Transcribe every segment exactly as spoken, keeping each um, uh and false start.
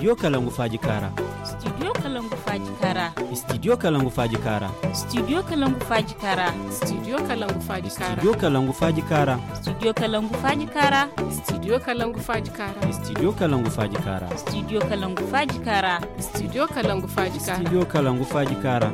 Studio kalangu faaji kaara. Studio kalangu faaji kaara. Studio kalangu faaji kaara. Studio kalangu faaji kaara. Studio kalangu faaji kaara. Studio kalangu faaji kaara. Studio kalangu faaji kaara. Studio kalangu faaji kaara. Studio kalangu faaji kaara. Studio kalangu faaji kaara. Studio kalangu faaji kaara. Studio kalangu faaji kaara.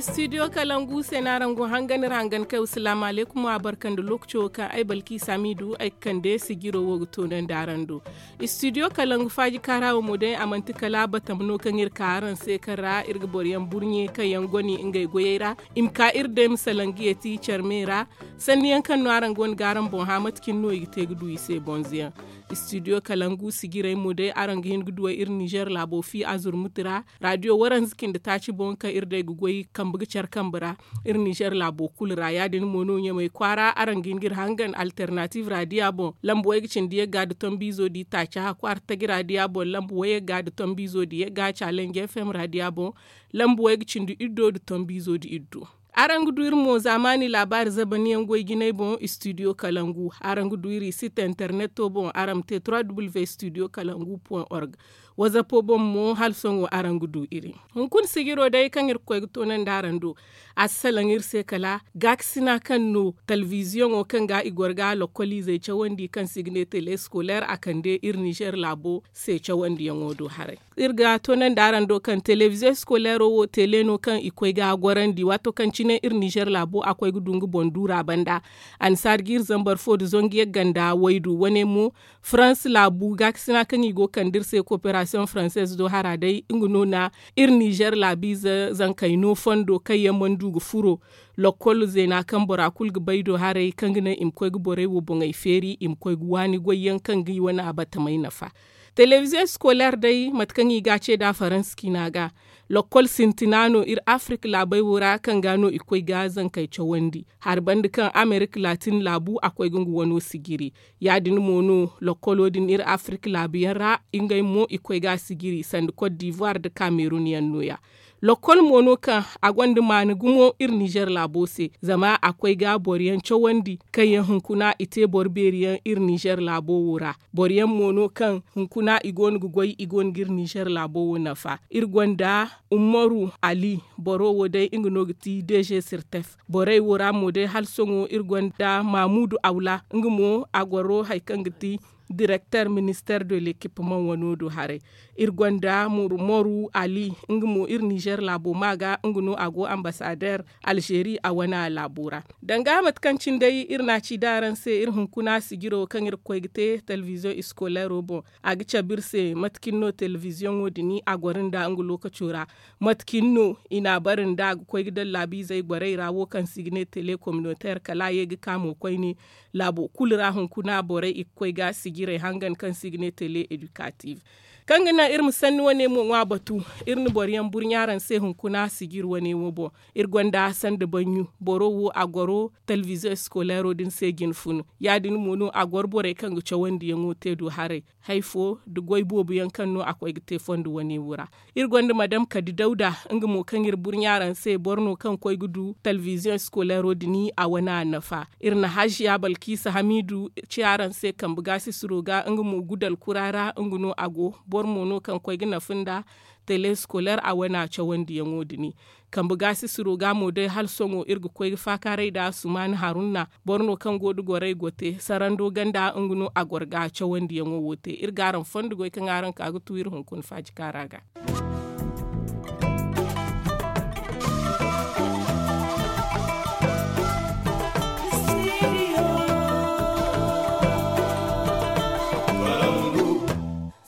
Studio kalangu se no araŋ go hangan iri hangan kay wa salaamu alaykum wa barka nda lookaco kaŋ ay balki saamiidu ay ga kande sijiro wo ga toonandi araŋ do. Studio kalangu faaji kaara wo mo day a manti kala batama no kaŋ iri ka araŋ se kaŋ ra iri ga boro yaŋ burɲe kaŋ yaŋ goni ngey goyey ra i ma ka iri day ma salaŋ ga yeeti care me ra. Sanni yaŋ kaŋ no araŋ go no ga araŋ boŋ hã mate cine no i ga te ga du i se bonze yaŋ. Studio kalangu sijirey mo day araŋ ga hin ga duwey iri nizer laabo fi azurmuti ra. Radiyo waranza cindi taaci boŋ kaŋ iri day ga goy kambe ga care kambe ra iri nizer laabo kulu ra ya- din mo no ɲamey kwaara araŋ ga hin ga iri hangan alternative radiya boŋ lambu way ga cindi yagga nda tombiizo di taaci hakku artaji radiya boŋ lambu way yagga nda tombiizo di yagga challenge fm radiya boŋ lambu way ga cindi iddo nda tombiizo di iddo. Araŋ ga du iri mo zaamaani laabaari zabaniyaŋ goy jinay boŋ studio kalangu araŋ ga du iri site interneto boŋ araŋ ma te trois w studio kalangu point org. Wazapo boŋ mo hala sohõ araŋ ga du iri. Hunkuna sijiro day kaŋ iri ga koy ga toonandi araŋ do a si salaŋ iri se kala gaakasina kaŋ no talbiziyoŋo kaŋ ga i goro ga lokkoliizey cawandi kaŋ se i ga ne tele scolaire a kande iri nizer laabo se cawandiyaŋo do haray. Iri ga toonandi araŋ do kaŋ telebiziyo scolaire wo tele no kaŋ i koy ga a gorandi waato kaŋ cine iri nizer laabo a koy ga du nga boŋ duura banda. A na saadi ga iri zambar fo nda zangu yagga nda waydu wane mo. Farans laabu gaakasina kaŋ i go ga kande iri se koperasiyoŋ faranseez do hara day nga no na iri nizer laabiize zankey no fondo kaŋ yaŋ mana du ga furo lokkol zeena kaŋ bora kulu ga bay do haray kaŋ ga naŋ i ma koy ga borey wo boŋey feeri i ma koy ga waani goy yaŋ kaŋ ga i wane abatamey nafa. Telebiziyo scolaire day mate kaŋ i ga a ce nd'a faransa ciina ga. Lokkol sintina no iri afirika laabey wo ra kaŋ ga no i koy ga zankey cawandi hari banda kaŋ amerika laatin laabu a koy ga nga wano sijiri. Ya- din mo no lokkolo din iri afirika laabu yaŋ ra ngey mo i koy ga a sijiri sanda kot divuwar nda kamerun yaŋ no- ya. Lokkol mo no kaŋ a gonda maana gumo iri nizer laabo se zama a koy ga boro yaŋ cawandi kaŋ yaŋ hunkuna i te boro beeri yaŋ iri nizer laabo wo ra. Boro yaŋ mo no kaŋ hunkuna i go no ga goy i go no ga iri nizer laabo wo nafa. Iri gonda umaru ali boro wo day nga no ga ti deeze sirtef. Borey wo ra mo day hala sohõ iri gonda mamudu awla nga mo a goro hari kaŋ ga ti direkter minister de lekipimaŋ wano do haray. Iri gonda moru ali nga mo iri nizer laabo ma ga nga no a go ambasader alzeeri a wane laabo ra. Danga mate kaŋ cine day iri na a ci da araŋ se iri hunkuna sijiro kaŋ iri ga koy ga te telebiziyoŋ iskoleero boŋ a ga cabe iri se mate cine no telebiziyoŋo din a goro nda nga lookaco ra. Mate cine no i n'a bare nda a ga koy ga daŋ laabiizey borey ra wo kaŋ se i ga ne tele kominoteer kala a ye ga ka mo koyne laabo kulu ra hunkuna borey i ga koy ga sijirey hangan kaŋ se i ga ne tele edikaatif. Kaŋ ga naŋ iri ma sanni wane mo ŋwa batu iri na boro yaŋ burɲa araŋ se hunkuna sijiri wane wo boŋ. Iri gonda sanda baɲɲu boro wo a goro telebiziyoŋ eskoleero din se jine funu. Ya- din mo no a goro borey kaŋ ga cawandiyaŋo te du haray hari fo nda goy boobo yaŋ kaŋ no a koy ga te fondo wane wo ra. Iri gonda madam kadi dawda nga mo kaŋ iri burɲa araŋ se boro no kaŋ koy ga du telebiziyoŋ eskoleero din a wane a nafa. Iri na haziya balkiisa hamiidu ci araŋ se kambe gaasisiro ga nga mo gudal kura ra nga no a go. Boro mo no kaŋ koy ga nafa nda tele eskoleer a wane a cawandiyaŋo din. Kambe gaasisiro ga mo day hala sohõ iri ga koy ga faakaaray nda sumaani harunna. Boro no kaŋ go nda gorey gote sarando ganda nga no a goro ga cawandiyaŋo wo te iri ga araŋ fondo goy kaŋ araŋ ka ga tu iri hunkuna faaji kaara ga.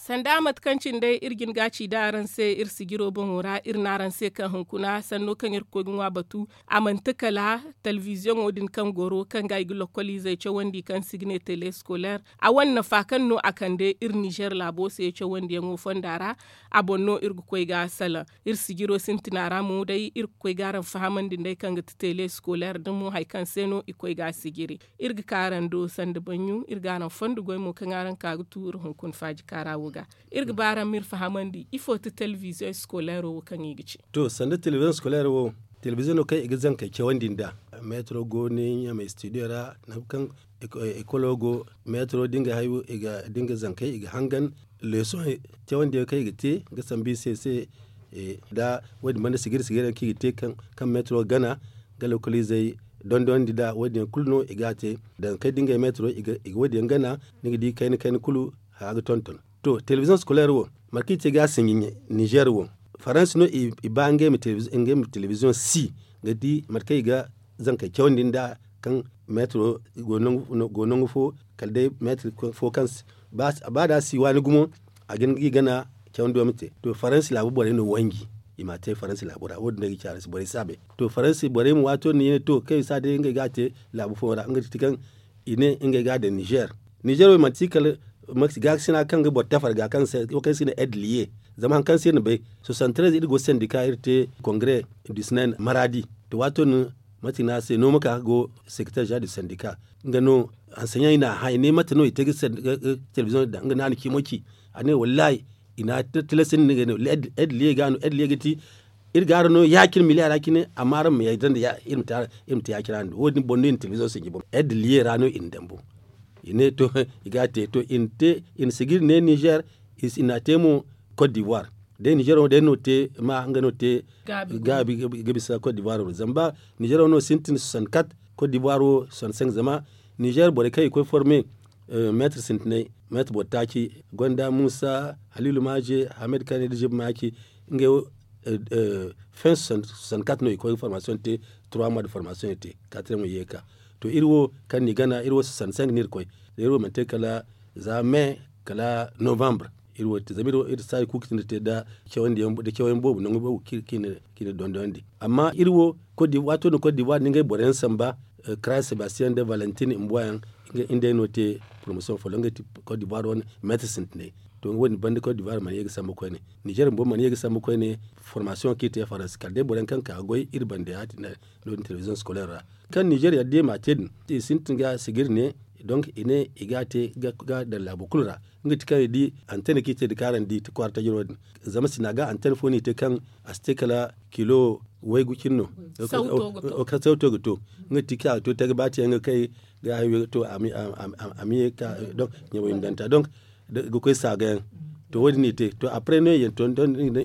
Sanda mate kaŋ cine day iri jin ga ci da araŋ se iri sijiro boŋo ra iri ne araŋ se kaŋ hunkuna sanno kaŋ iri ga koy ga ŋwa batu. A manti kala telebiziyoŋo din kaŋ goro kaŋ ga i ga lokkoliizey cawandi kaŋ se i ga ne tele eskoleer a wane nafa kaŋ no a kande iri nizer laabo se cawandiyaŋo fonda ra. A boŋ no iri ga koy ga salaŋ iri sijiro sintina ra mo day iri ga koy ga araŋ fahamandi nd'ey kaŋ ga ti tele eskoleer da mo hari kaŋ se no i koy ga a sijiri. Iri ga ka araŋ do sanda baɲɲu iri ga araŋ fondo goy mo kaŋ araŋ ka ga tu iri hunkuna faaji kaara wo ga. Iri ga ba araŋ ma iri fahamandi ifo ti telebiziyoŋ eskoleero wo kaŋ i ga ci? To sanda telebiziyoŋ eskoleero wo telebiziyoŋo kaŋ i ga zankey cawandi nd'a. Meetiro go ni ɲamey studio ra nangu kaŋ Ekolo go meetaro da nga zankey i ga hangan leesoŋ cawandiyaŋ kaŋ i ga te ga sambu i se se. Da wo- din banda sigir sigir yaŋ kaŋ i ga te kaŋ meetaro ga gana ga lokoliizey dondonandi nd'a wo- din yaŋ kulu no i ga a te. Danga kay da ngey meetaro i ga wo- din yaŋ gana ni ga di kayna kayna kulu haya ga tonton. To telebizoŋ sikoleer wo mate kaŋ i te ga a sinji nizer wo, faransa no i ba ngey ma telebizoŋ si ga di mate kaŋ i ga zankey cawandi nd'a kaŋ meetaro go nangu fo kala day meetaro fo kaŋ si ba da a si waani gumo a ga hin ga i gana cawandi wo ma te. To faransa laabu borey no wanji i m'a te faransa laabu ra wo- din no ay ga ci araŋ se borey si a bay. To faransa borey mo waato din no i ne to kaŋ i si a day ngey ga a te laabu fooyaŋ ra nga ti kaŋ i ne ngey ga a daŋ nizer. Nizer wo manti kala gaakasina kaŋ ga boro tafar ga kaŋ se i ne edliye. Zama hari kaŋ se iri na bay soixante treize iri go sendika iri te kongre du sinaine maradi. To waato din mate no a se no ma ka ga go sekretaire général du sendika nga no hanseyaŋ i n'a hã i ne mate no i te ga telebizoŋ daŋ nga no a na cimo ci. A ne wallahi i n'a tilasandi nga no edliye ga no edliye ga ti iri ga araŋ no ya- cine miliya ra cine amma araŋ ma yadda nda iri ma te ya- cine ra no wo- din boŋ no i na telebizoŋ sinji boŋ edliye ra no i na dambu. I ne to i ga a te to i na sigiri ne nizer i n'a te mo cote d'ivoire. Day nizer wo day no te ma nga no te gaabi ga bisa cote d'ivoire wo zama ba nizer wo no sintin soixante quatre cote d'ivoire wo soixante cinq zama nizer borey kaŋ i koy forme meetar sintinay meetar boro taaci gonda muusa haliilu maaje hamed kane da jib maaci. Ngey wo fin soixante quatre no i koy ga formasiyoŋ te trois mois de formasiyoŋ i te katrem ye ka. To iri wo kaŋ ni gana iri wo soixante cinq no iri koy iri wo mana te kala za me kala novembre. Iri wo te zama iri wo iri saayi kulu ga tindi te nda cawandiyaŋ boobo nangu boobo kaŋ i na dondonandi amma iri wo waato no cote d'ivoire no ngey boro yaŋ samba kara sebastian nda valentin mbuwa yaŋ. Nga day no te promosiyoŋ folloŋ nga ti cote d'ivoire wane meetar sintinay. To nga wo- din banda cote d'ivoire mana ye ga sambu koyne nizer bumbo mana ye ga sambu koyne. Formasiyoŋ kaŋ i te faransa kala day boro yaŋ kaŋ ka ga goy iri banda ya- din no- din telebizoŋ sikoleer ra kaŋ nizer yadda i m'a te din i sintin ga sigiri ne. Donk i ne i ga a te ga daŋ laabo kulu ra nga ti kaŋ i di antene kaŋ i te nda kaŋ araŋ di kwaara tajiro din. Zama sina ga antene fo no i te kaŋ a si te kala kilo waygu cine no. Sawto ga to nga ti kaŋ a ga to te ga ba te yaŋ ga kay ga hayo to a ma ye ka donk ɲamay ma daŋ ta donk ga koy saaga yaŋ. To wo- din no i te to après no i yaŋ to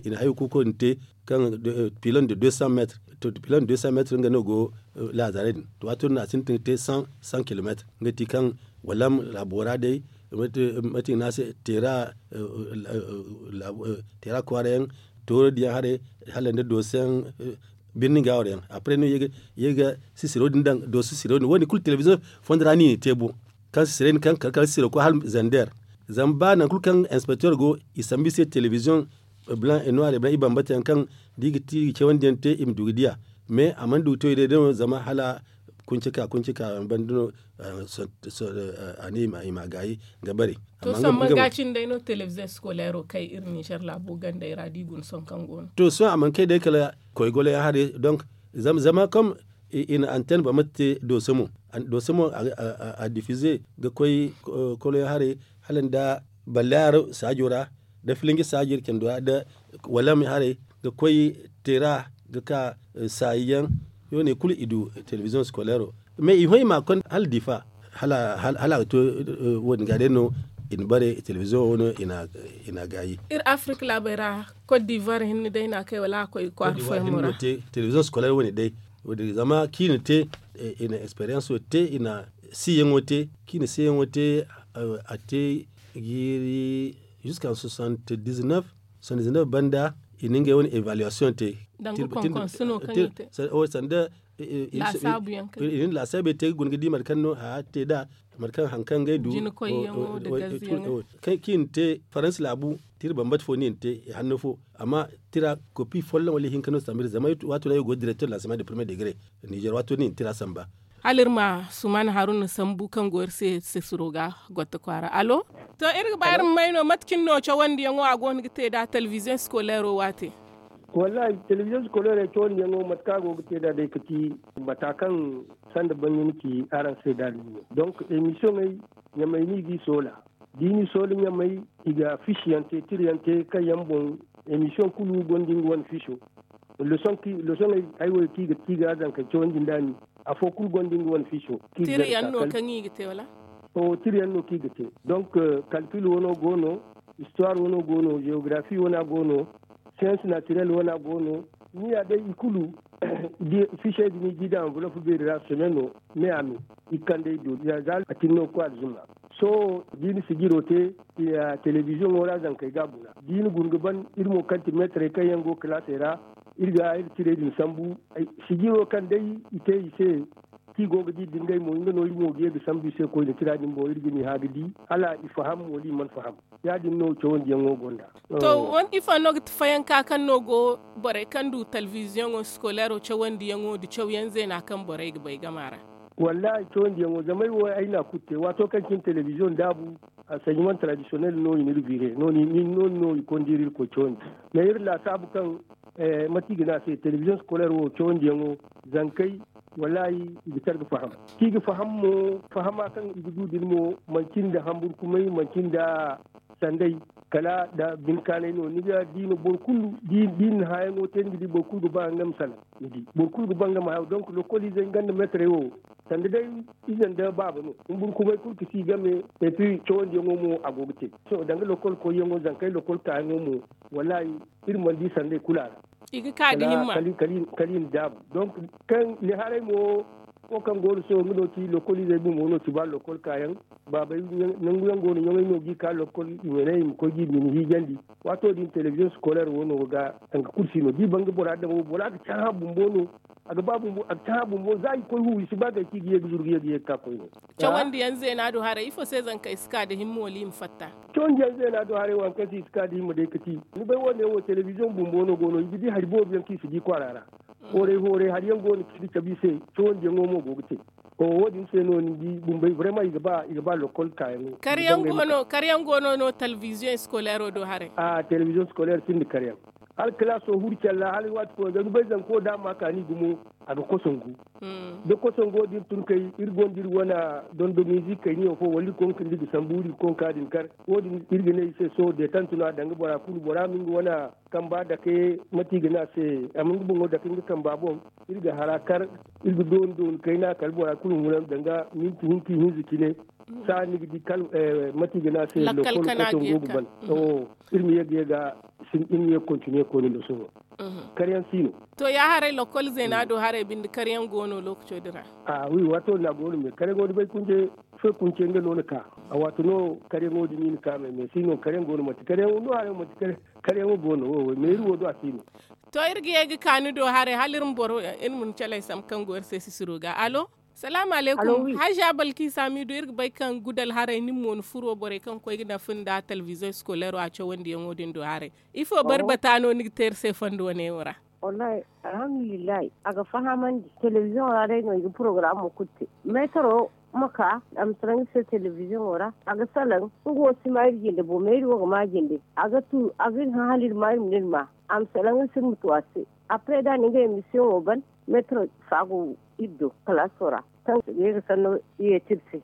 i na hayo kuuko din te kaŋ pilon de deux cents mètres. To pilon de deux cents mètres nga no go laazare din to waato din no a sintin ga te cent kilomètres nga ti kaŋ walam laabo ra day mate i ga ne a se teera teera kwaara yaŋ tooro diyaŋ haray hala nda dooso yaŋ birni ga wara yaŋ. Après no i ye ga sisiro din daŋ dooso sisiro din wo- din kulu telebiziyoŋ fondo ra no i na te bo kaŋ sisiro din kaŋ kala kala sisiro koy hala zander. Zama ba nangu kulu kaŋ inspekter go i sambu i se telebiziyoŋ blanc et noir i bambata yaŋ kaŋ da i ga ti i ga cawandi yaŋ te i ma du ga diya. Mais a mana du ga to i day day no zama hala kunci ka kunci ka banda no a ne i ma gaayi ga bare. To samman ga cine day no television scolaire kay iri niger laabo gandey ra da i guna sohõ kaŋ go no. To sohõ a mana kay day kala koy golo yaŋ haray donc zama comme i na antenne ba mate te dooso mo dooso mo a diffuser ga koy kolo yaŋ haray hala nda ballayaaro saajo ra da filinji saajo iri cando ra da walam haray ga koy teera ga ka saayi yaŋ. Yo ne kulu i du television scolaire mais i hõ i ma a konda hala difa hala a ga to wo- din ga day no i na bare television wo no i na gaayi. Iri afirika laabey ra cote d'ivoire hinne day no a kay wala a koy kwaara fooyaŋ mo ra. Television scolaire wo- ne day zama kaŋ i na te i na experience wo te i na siyaŋo te kaŋ i na siyaŋo te a te jiiri jusqu'en soixante dix neuf soixante dix neuf banda i na ngey wane évaluation te. Danga konkonso no kaŋ i te sanda i na laasaabey te ga guna ga di mate kaŋ no haya te nd'a mate kaŋ hari kaŋ ngey du kaŋ i na te faransa laabu tira bambata fo no i na te i hanno fo amma tira kopi folloŋ wala ihinka no sambu iri zama waato ra iri go directeur de l'enseignement de premier degré niger waato no i na tira samba. Hala iri ma suman haruna sambu kaŋ go iri se sesiro ga gotta kwaara allo. To iri ga ba iri ma may no mate cine no cawandiyaŋo a go no ga te nd'a television scolaire wo waate? Wallahi television scolaire cawandiyaŋo mate kaŋ a go ga te nd'a day ga ti mata kaŋ sanda bangay ni ci araŋ se nd'a din no donc émissioney ɲamay no i g'i soola da i n'i soola ɲamay i ga fiche yaŋ te tira yaŋ te kaŋ yaŋ boŋ émission kulu gonda nga wane ficho. Leçon ay wo kaŋ i ga zankey cawandi nd'a ni afo kulu gonda nga wane fiiso. Tira yaŋ no kaŋ i ga te wala? O tira yaŋ no kaŋ i ga te. Donc, kalkil wano go no, histoire wano go no, geografi wana go no, science naturelle wana go no. Ni ya day i kulu, fiisey din i g'i daŋ anvulop beeri ra semaine no, me a me i ga kande ay do za a tin no ga koy alzumma. Sohõ da i na sijiro te, telebiziyoŋo ra zankey ga a guna da i na guna ga ban iri mo kaŋ ti meetarey kaŋ yaŋ go kalaasey ra, iri ga iri tirey din sambu. Sijiro kaŋ day i te i se, kaŋ i go ga di da ngey mo nga no iri mo ga ye ga sambu i se koyne tira din boŋ iri ga ni hã ga di, hala i faham wala i mana faham. Ya- din no cawandiyaŋo gonda. To, ifo no ga ti fayanka kaŋ no go borey kaŋ du telebiziyoŋo sikoleero cawandiyaŋo nda cawyaŋ zeena kaŋ borey ga bay gama ra? Wallaahi cawandiyaŋo zama ay wo ay na a kulu te waato kaŋ cine telebiziyoŋ daabu, anseɲimaŋ taradisiyonel no i n'iri biire no- din no i konda iri iri koy cawandi. Mais iri laasaabu kaŋ mate i ga ne a se telebiziyoŋ sikoleer wo cawandiyaŋo, zankey wallaahi i ga care ga faham. Kaŋ i ga faham mo, fahama kaŋ i ga du din mo manti nda hamburkumay, manti nda sanday, kala nda bine kaanay no ni ga di no boro kulu da i na hãyaŋo te ni ga di boro kulu ga ba nga ma salaŋ. Ni di boro kulu ga ba nga ma hayo donk lokoliizey nga nda meetarey wo, sanda day ize nda baaba no. Humburkumay kulu ga si game, epi cawandiyaŋo mo a go ga te. Sohõ danga lokol koyyaŋo zankey lokol kaayaŋo mo, wallaahi iri mana di sanday kulu a ra. I ga ka da himma. Kala i na daabu donk, kaŋ ni haray mo, wo kaŋ go no sohõ nga no ti lokoliizey bumbo no ti ba lokol kaayaŋ. Baabey nangu yaŋ go no ɲaŋey no g'i ka lokol i ma ne i ma koy g'i bine hiijandi. Waato din telebiziyoŋ sikoleer wo no ga danga kulu si no da i ban ga bora daŋ wo bora ga cahã bumbo no. A ga ba bumbo a ga cahã bumbo za i koy hu i si ba gay kaŋ i ga ye ga zuru ga ye ga ye ga ka koyne. Cawandiyaŋ zeena do haray ifo se zankey si ka da himma wala i ma fatta? Cawandiyaŋ zeena do haray waŋ kaŋ se i si ka da himma day ga ti, ni bay wo- ne wo telebiziyoŋ bumbo no go no i ga di hari boobo yaŋ kaŋ i si di kwaara ra. Hooray hooray hari yaŋ go no kaŋ i ga cabe i se. Cawandiyaŋo mo go ga te. Wo- din se no ni di bumbey brema i ga ba lokol kaayaŋo. Kar yaŋ go no telebiziyoŋ sikoleero do haray? Telebiziyoŋ sikoleer sinda kar yaŋ. Hala kalaaso huru care ra hala waati fooyaŋ ga ni bay zanko da a ma kaani gumo, a ga kosongu. Da kosongo din tun kay iri gonda iri wane dondomiizi kayniyo fo wala iri konka nda i ga sambu iri ga konka din kar. Wo- din iri ga ne i se sohõ deetant no a danga bora kulu bora ma nga wane kamba dake, mate i ga ne a se, a ma nga boŋo dake nga kamba boŋ. Iri ga hara kar, iri ga dooni dooni kayna kala bora kulu huna danga minti hinka ihinza cine. Saha ni ga di kala mate i ga ne a se lokol kaŋ go ga ban. Iri ma ye ga ye ga iri ma ye ga kontiniye koyne nda sohõ. Karyaŋ si no. To ya haray lokol zeena do haray binde karyaŋ go no lookaco din ra? A wi waato din a go no me karyaŋo da bay kunce, foy kunce nga no na ka. A waato no karyaŋo din i na ka me me si no karyaŋ go no manti karyaŋo no haray manti karyaŋo go no wo wo meeri wo do a si no. To iri ga ye ga ka ni do haray hala iri ma boro iri ma ni calay sambu kaŋ go iri se sisiro ga alo. Salaamu alaykum. Hajja balki saamidu iri ga bay kaŋ gudal haray nin mo ni furo borey kaŋ ga koy ga nafa nda telebiziyoŋ sikoleero a cawandiyaŋo din do haray? Ifo barbata no ni ga te iri se fondo wane wo ra? Wallahi, alhamdulillahi, a ga fahamandi telebiziyoŋo ra day no i ga porogaraamo kulu te. Meetaro ma ka a ma salaŋ iri se telebiziyoŋo ra a ga salaŋ. Nga wo si ma iri jinde bo meeri wo ga ma jinde. A ga tu a ga iri hã hala iri ma iri ma iri ma a ma salaŋ iri se iri ma tu a se. Apre da a na nga emisiyoŋo ban, meetaro fa go iri do kalaaso ra kaŋ ga ye ga sanno yeeti iri se.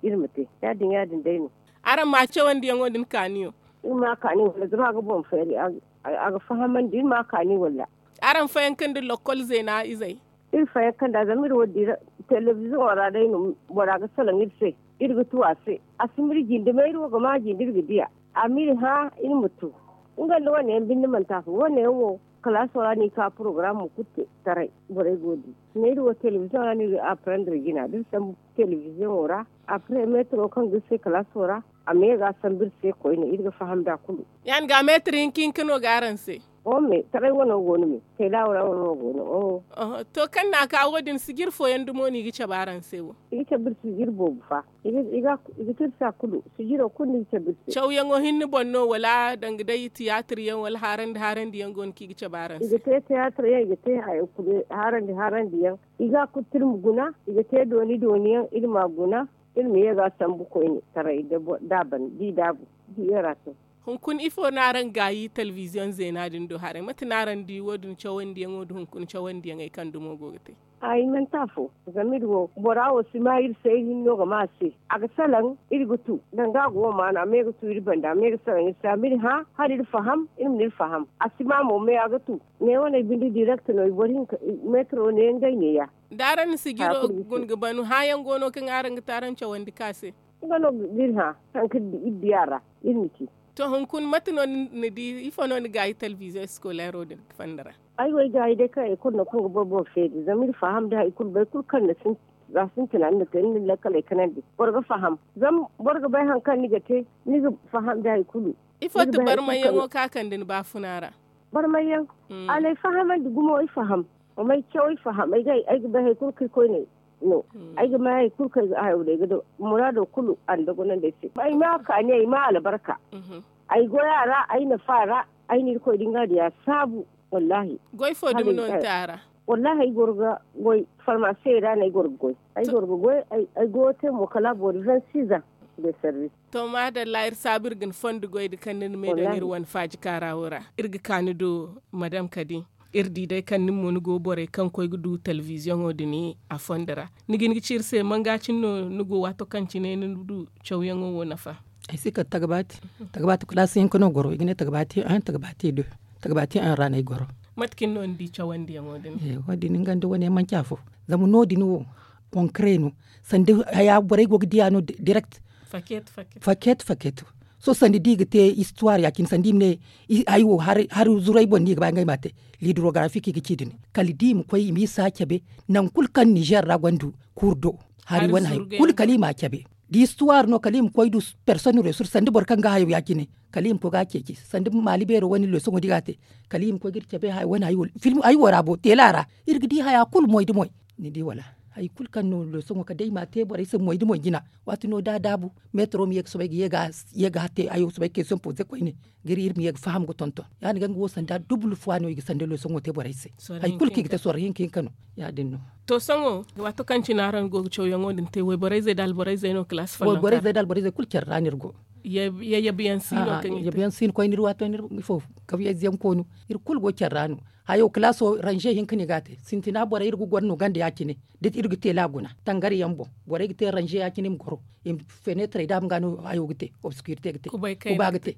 Iri ma te ya- din ya- din day no. Araŋ ma cawandiyaŋo din kaaniyo? Iri ma a kaani wala zama a ga boŋ feeri. A ga fahamandi iri ma a kaani wala? Araŋ fayanka nda lokol zeena izey? Iri fayanka nd'a zama iri wo dira telebiziyoŋo ra day no bora ga salaŋ iri se. Iri ga tu a se a si ma iri jinde ma iri wo ga ma a jinde iri ga di a. A ma iri hã iri ma tu. Nga nda wane yaŋ binde manti afo wane yaŋ wo kalaaso ra no i ka porogaraamo kulu te taray. Borey go di. Neeri wo telebiziyoŋ ra no iri ga aprendre jina da iri sambu telebiziyoŋo ra. Apre meetaro kaŋ ga iri se kalaaso ra a ma ye ga a sambu iri se koyne iri ga faham nd'a kulu. Ya- din ga meetar hinka hinka no ga araŋ se? Oho me taray wano go no me. Kayda wano go no oho. To kaŋ na a ka wo- din sijir fooyaŋ dumo no i ga cabe araŋ se wo? I ga cabe iri sijir boobo fa. I ga te iri se a kulu sijiro kulu no i ga cabe iri se. Cawyaŋo hinne boŋ no wala danga day tiyaatir yaŋ wala haarandi haarandi yaŋ go no kaŋ i ga cabe araŋ se? I ga te tiyaatir yaŋ i ga te haarandi haarandi yaŋ. I ga a kulu te iri ma guna. I ga te dooni dooni yaŋ iri ma a guna. Iri ma ye ga a sambu koyne taray da a ban da i daabu. Di iri a to. Hunkuna ifo no araŋ gaayi telebiziyoŋ zeena din do haray mate no araŋ di wo- din cawandiyaŋo nda hunkuna cawandiyaŋey kaŋ dumo go ga te? Ay mana te afo. Zama iri wo bora wo si ma iri se iri hinno ga ma a se. A ga salaŋ iri ga tu danga a go wo maana a me ga tu iri banda a me ga salaŋ iri se a ma iri hã hala iri faham iri ma ne iri faham. A si ma mo me a ga tu. Ne wane binde direct no i boro hinka. Metro ne ngey ne ya. Da araŋ na sijiro guna ga banu hãyaŋ go no kaŋ araŋ ga te araŋ cawandi ka se. Nga no ga iri hã haŋ kaŋ iri di a ra. Iri ma ci. To hunkuna mate no ni di ifo no ni gaayi television scolairo din fonda ra? Ay wo ay gaayi day kaŋ ekol no kaŋ ga boro boro feeri zama iri faham da hari kulu boro kulu kaŋ na sintina ni na te ni na lakkaley kanandi boro ga faham. Zama boro ga bay hari kaŋ ni ga te ni ga faham da hari kulu. Ifo ti barmayyaŋo kaŋ a kande ni baafuna ra? Barmayyaŋ. Alay fahamandi gumo ay faham. Wa may caw ay faham ay ga bay hari kulu kaŋ ay koyne no. Ay ga may hari kulu kaŋ ay ga hayo day ga daw muraado kulu a na dagonandi ay se ay ma kaani ay ma albarka. Ay goy a ra ay nafa a ra. Ay na irkoy din ga diya saabu. Wallahi. Goy fo dumi no ni te a ra? Wallahi ay goro ga goy farmasiyo ra no ay goro ga goy. Ay goro ga goy ay goyo te mo kala boori vingt six ans. De service. To maadalla iri saabu iri ga ni fondo goy da kaŋ ni na me daŋ iri wane faaji kaara wo ra iri ga ka ni do. Madam kadi iri di day kaŋ nin mo ni go borey kaŋ koy ga du televiziyoŋo din a fondo ra. Ni ga hin ga ci iri se manga cine no ni go waato kaŋ cine ni du cawyaŋo wo nafa? Ay si kala tagabaati. Tagabaati kulaasi hinka no goro i ga ne tagabaati en tagabaati du. Tagabaati en ra no ay goro. Mate kaŋ no ni di cawandiyaŋo din? Wo- din nga nda wane manci afo. Zama no- din wo konkare no sanda haya borey go ga diya no direct. Faket faket. Sohõ sanda da i ga te istuwaar ya- cine sanda i ma ne hari wo hari zuray boŋ no i ga ba ngey ma a te. Lidorogarafi kaŋ i ga ci din kala da i ma koy i ma isa cabe. Nangu kulu kaŋ nizer ra gonda kuuru do hari wane hari kulu kala i ma a cabe. Da istuwaar no kala i ma koy du. Persone resurs sanda boro kaŋ ga hayo ya- cine kala i ma koy ga a ceeci sanda maali beero wane lesoŋo da i ga a te. Kala i ma koy ga iri cabe haya wane hari wo ra bo teela ra. Iri ga di haya kulu moy da moy. Ni di wala hari kulu kaŋ no lesoŋo kala day i ma a te borey se moy da moy jina. Waati no da a daabu meetaro ma ye ga soobay ga ye ga te hayo soobay question poze koyne ga iri iri ma ye ga faham ga tonton. Ya- din ga nga wo sanda dubul fuwa no i ga sanda lesoŋo te borey se. Hari kulu kaŋ i ga te sorro hinka hinka no. Ya- din no. To sohõ waato kaŋ cine araŋ go ga cawyaŋo din te wayborey zey nda alborey zey no kalaasi folloŋ? Wayborey zey nda alborey zey kulu care ra no iri go. Yayyabiyaŋ si no kaŋ i te? Yayyabiyaŋ si no koyne iri waato no iri ifo kawyayze yaŋ koonu. Iri kulu go care ra no. Hayo kalaaso ranze hinka no i ga a te sintina borey iri ga goro no ganda ya- cine. Da iri ga teela guna tangari yaŋ boŋ borey ga te ranze ya- cine i ma goro. Feneetarey da a ma ga no hayo ga te obsikuritey ga te. Kuba ga te.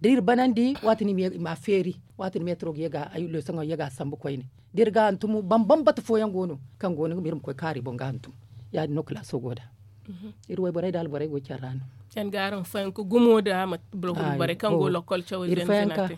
Da iri banandi waati no i ma a feeri. Waati no meetaro ga ye ga leesoŋo ye ga a sambu koyne. Da iri ga hantum bambam bata fooyaŋ go no kaŋ go no iri ma koy kaari boŋ ga hantum. Ya- din no kalaaso go nd'a. Iri wayborey nda alborey go care ra no. Yaŋ ga araŋ fayanka gumo nda boro kulu borey kaŋ go lokkol cawey zey no se no a te.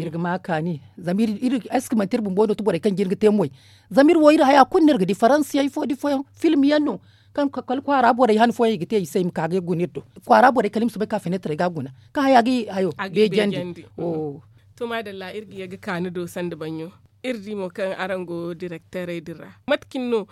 Iri ga ma kaani zama iri eske manti iri bumbo no ti borey kaŋ jin ga te moy. Zama iri wo iri haya kulu no iri ga di faransi yaŋ ifo da ifooyaŋ film yaŋ no. Kaŋ kala kwaara borey han fooyaŋ i ga te i se i ma ka ga guna iri do. Kwaara borey kala i ma soobay ka feneetarey ga guna kaŋ haya ga i hayo beejandi. To maadalla iri ga ye ga ka ni do sanda baɲɲo. Iri di mo kaŋ araŋ go direkteerey din ra mate cine no?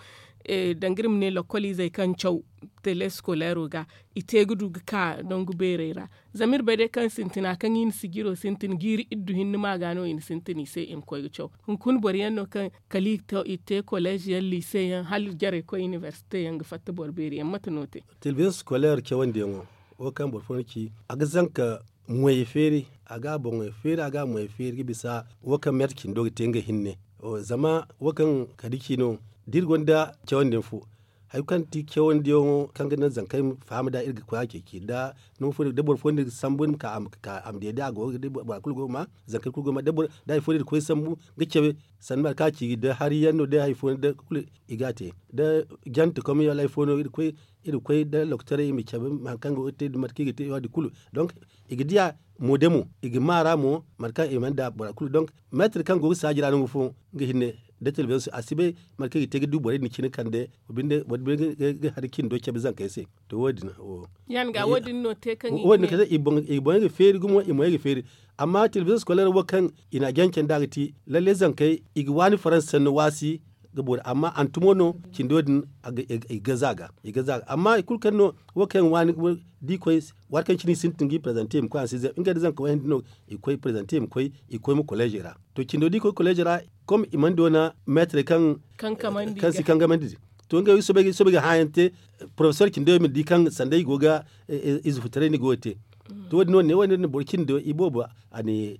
Danga iri ma ne lokkoliizey kaŋ caw teleskoleero ga i te ga du ga ka nangu beerey ra. Zama iri bay day kaŋ sintina kaŋ i na sijiro sintin jiiri iddu hinne ma ga no i na sintin i se i ma koy ga caw. Hunkuna boro yaŋ no kaŋ kala i te koleez yaŋ liise yaŋ hala jarey koy inibersite yaŋ ga fatta boro beeri yaŋ mate no te? Telebizaŋ skoleer cawandiyaŋo wo kaŋ boro fooyaŋ ci a ga zanka moyey feeri. A ga a boŋey feeri a ga a moyey feeri ga bisa wo kaŋ meetar cindo ga te nga hinne. Zama wo kaŋ kadi ci no da iri gonda cawandi yaŋ fo hari kulu kaŋ ti cawandiyaŋo kaŋ ga naŋ zankey ma faham nd'a iri ga koy a ceeci nda nangu fo da boro fooyaŋ no iri ga sambu iri ma ka a ma deede a go ga da bora kulu go ga ma zankey kulu go ga ma da hari fo no iri ga koy sambu ga cabe. Sanda mate kaŋ a ci da hari yaŋ no da hari fo no da kulu i ga a te da jante komey wala hari fo no iri ga koy da lokotorey i ma cabe hari kaŋ go ga te da mate kaŋ i ga te ya- din kulu. Donk i ga diya mo de mo i ga ma ra mo mate kaŋ i mana da bora kulu donk meetar kaŋ go ga saaji ra nangu fo nga hinne da telebizaŋ a si bay mate kaŋ i ga te ga du borey din cine kande. Boro binde ga hari cindo cabe zankey se. To wo- din wo- din no te kaŋ i boŋey ga feeri gumo i moyey ga feeri. Amma telebizaŋ skoleer wo kaŋ i na a janca nd'a ga ti lalle zankey i ga waani faransa sanni waasi ga boori amma hantumo no cindo din i ga gaza a ga. Amma hari kulu kaŋ no wo kaŋ yaŋ waani da i koy waati kaŋ cine i sintin ga i prezante i ma koy a se zama ngey nda zanka wayanda no i koy prezante i ma koy i koy ma koleezey ra. To cindo da i koy koleezey ra kom i mana doona meetarey kaŋ si kangamandi din. To ngey wo i soobay ga hãayaŋ te porofesor cindo i ma di kaŋ sanda i go ga ize futaray no i go ga te. To wo- din no ne wo- din boro cindi do i boobo a ni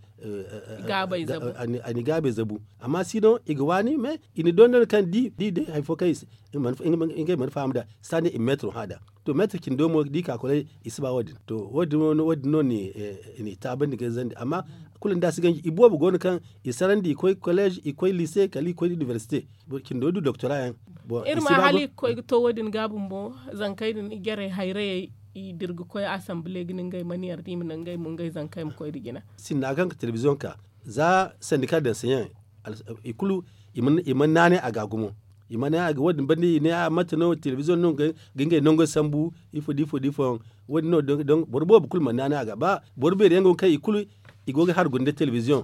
gaabay zabu. Amma si no i ga waani mais i na dondon kaŋ di di day hari fo kaŋ i se ngey mana faham nd'a. Saani i ma meetiro hã nd'a. To meetiro cindo mo da i ka kolay i si ba wo- din to wo- din no ni taabandi ga zandi amma kulu nda a si ganji i boobo go no kaŋ i sarandi i koy kolleez i koy lise kala i koy inibersite. Cindo du doktora yaŋ. Iri ma hala i ga koy ga to wo- din ga bumbo zankey din i jarey hayrayey i dira ga koy asambile ga ne ngey mana yarda i ma ne ngey mo ngey zankey ma koy nda jina. Sinda kaŋ ga telebiziyoŋ ka za sandika danseyaŋ i kulu i mana naanay a ga gumo. I mana naanay a ga wo- din banda i ne a mate no telebiziyoŋ no ga ngey nango sambu ifo da ifo da ifo yaŋ. Wo- din no boro boobo kulu mana naanay a ga ba boro beeri yaŋ go ga kaŋ i kulu i go ga hari guna nda telebiziyoŋ.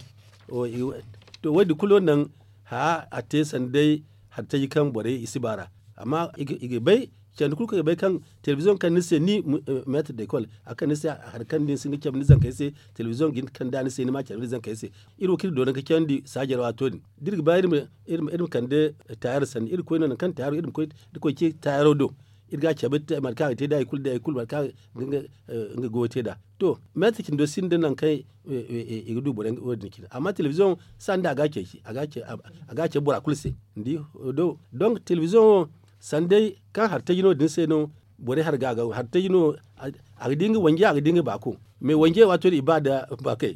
To wo- din kulu wo naŋ haa a te sanda day hari taji kaŋ borey i si ba ra. Amma i ga bay candi kulu kaŋ i ga bay kaŋ telebiziyoŋ kaŋ ni se ni meetir de kol a kaŋ ni se hari kaŋ ni si ga cabe ni zankey se. Telebiziyoŋ ga hin ga kand'a ni se ni ma cabe ni zankey se. Iri wo kaŋ iri doona ga candi saajar waato din da iri ga ba iri ma kande taayar sanda iri koy no nangu kaŋ taayar iri ma koy da koy ce taayaro do. Iri ga a cabe mate kaŋ a ga te nd'a i kulu da i kulu mate kaŋ nga goyo te nd'a. To meetir cindo sinda nangu kaŋ i ga du borey wo- din cine amma telebiziyoŋ sanda a ga a ceeci a ga a cabe bora kulu se. Ni di? Donk telebiziyoŋ wo sanda day kaŋ hari taji no din se no borey hari ga a ga hari taji no. A ga di nga wanje a ga di nga baako. Mais wanje waato din i ba nda baakey.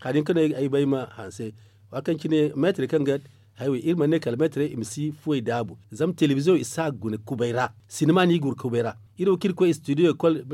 Hari hinka no ay bay ma hanse waati kaŋ cine meetir kaŋ ga haywey iri mana ne kala meetirey i ma si fuwey daabu zama telebiziyoŋ i si a guna kubay ra. Sinima no i guna kubay ra. Iri wo kaŋ iri koy studio école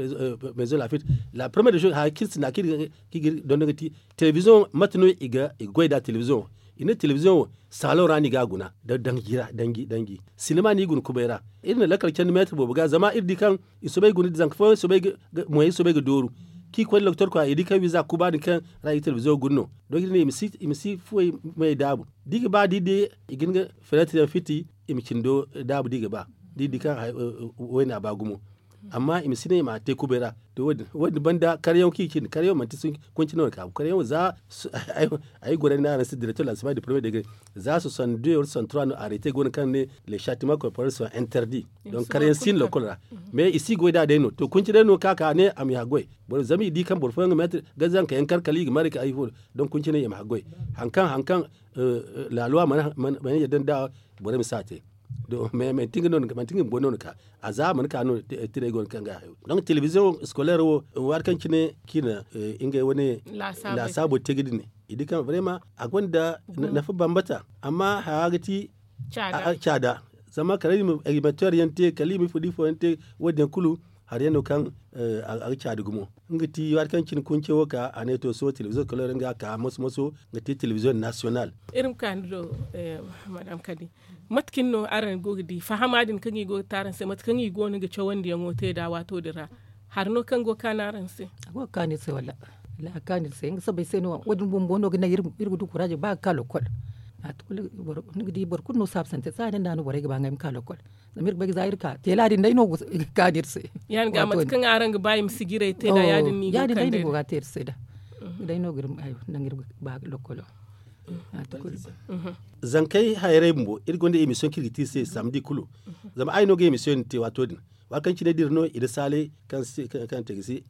maison lafit la première des choses hari kaŋ iri sinda kaŋ iri ga iri dondon ga ti telebiziyoŋ mate no i ga goy nd'a telebiziyoŋ wo i ne telebiziyoŋ wo saalo ra no i ga a guna nda danji ra danji danji sinima no i guna kubay ra. Iri na lakkal candi meetir boobo ga zama iri di kaŋ i soobay guna nda zanka fooyaŋ soobay ga moyey soobay ga dooru kaŋ i koy nda lokotor kwaara i di kaŋ wiiza kuba din kaŋ ra i ga telebiziyoŋ guna no. Donk iri ne i ma si fuwey moyey daabu da i ga ba da i di i ga hin ga feneetir yaŋ fiti i ma cindo daabu da i ga ba da i di kaŋ wayna ba gumo. Amma i ma si ne i ma a te kubay ra. To wo- din banda karyaŋo kaŋ i ga cindi karyaŋo manti kunci no ni ka bu karyaŋo za ay gorey no araŋ se direktor lansima de premier degre za soixante deux wala soixante trois no arete go no kaŋ ne les châtiments corporels sont interdits. Donc karyaŋ si no lokol ra mais i si goy da day no to kunci day no ka ka ne a ma i haggoy. Boro zama i di kaŋ boro fooyaŋ ga meetir ga zanka yaŋ kar kala i ga mare ka ay fo. Donc kunci ne i ma haggoy hankaŋ hankaŋ laaluwa mana yadda nda borey ma si a te. Mais manti nga bumbo no ni ka a za mana ka no tirey go no kaŋ ga hayo. Donc telebiziyoŋ scolaire wo waati kaŋ cine kaŋ i na ngey wane laasaabo te ga dine i di kaŋ vraiment a gonda nafa bambata. Amma haya ga ti caada zama kala animateur yaŋ te kala i ma ifo da ifo yaŋ te wo- din yaŋ kulu hari yaŋ no kaŋ a ga caadi gumo. Nga ti waati kaŋ cine kunce wo ka a ne to sohõ telebiziyoŋ scolaire nga ka moso moso ga te telebiziyoŋ national. Iri ma ka ni do madam kadi mate kaŋ no araŋ go ga di fahama din kaŋ i go ga te araŋ se mate kaŋ i go no ga cawandiyaŋo te nd'a waato din ra? Hari no kaŋ go ga kaanu araŋ se? A go ga kaanu iri se walla a kaanu iri se nga sabay se no wo- din bumbo no ga naŋ iri ga du kuraaje ba ga ka lokkol. Ni ga di boro kulu no saabisante saaya din da no borey ga ba ngey ma ka lokkol. Zama iri ga bay ga za iri ka teela din day no ga kaanu iri se. Ya- din ga mate kaŋ araŋ ga ba i ma sijirey te nd'a ya- din no i go ga te iri se nd'a. Day no ga iri naŋ iri ga ba lokkolo. Zankey hayray bumbo iri gonda emission kaŋ iri ga te iri se samedi kulu. Zama ay no ga emission din te waato din waati kaŋ cine da iri no i da saalay kaŋ te ga si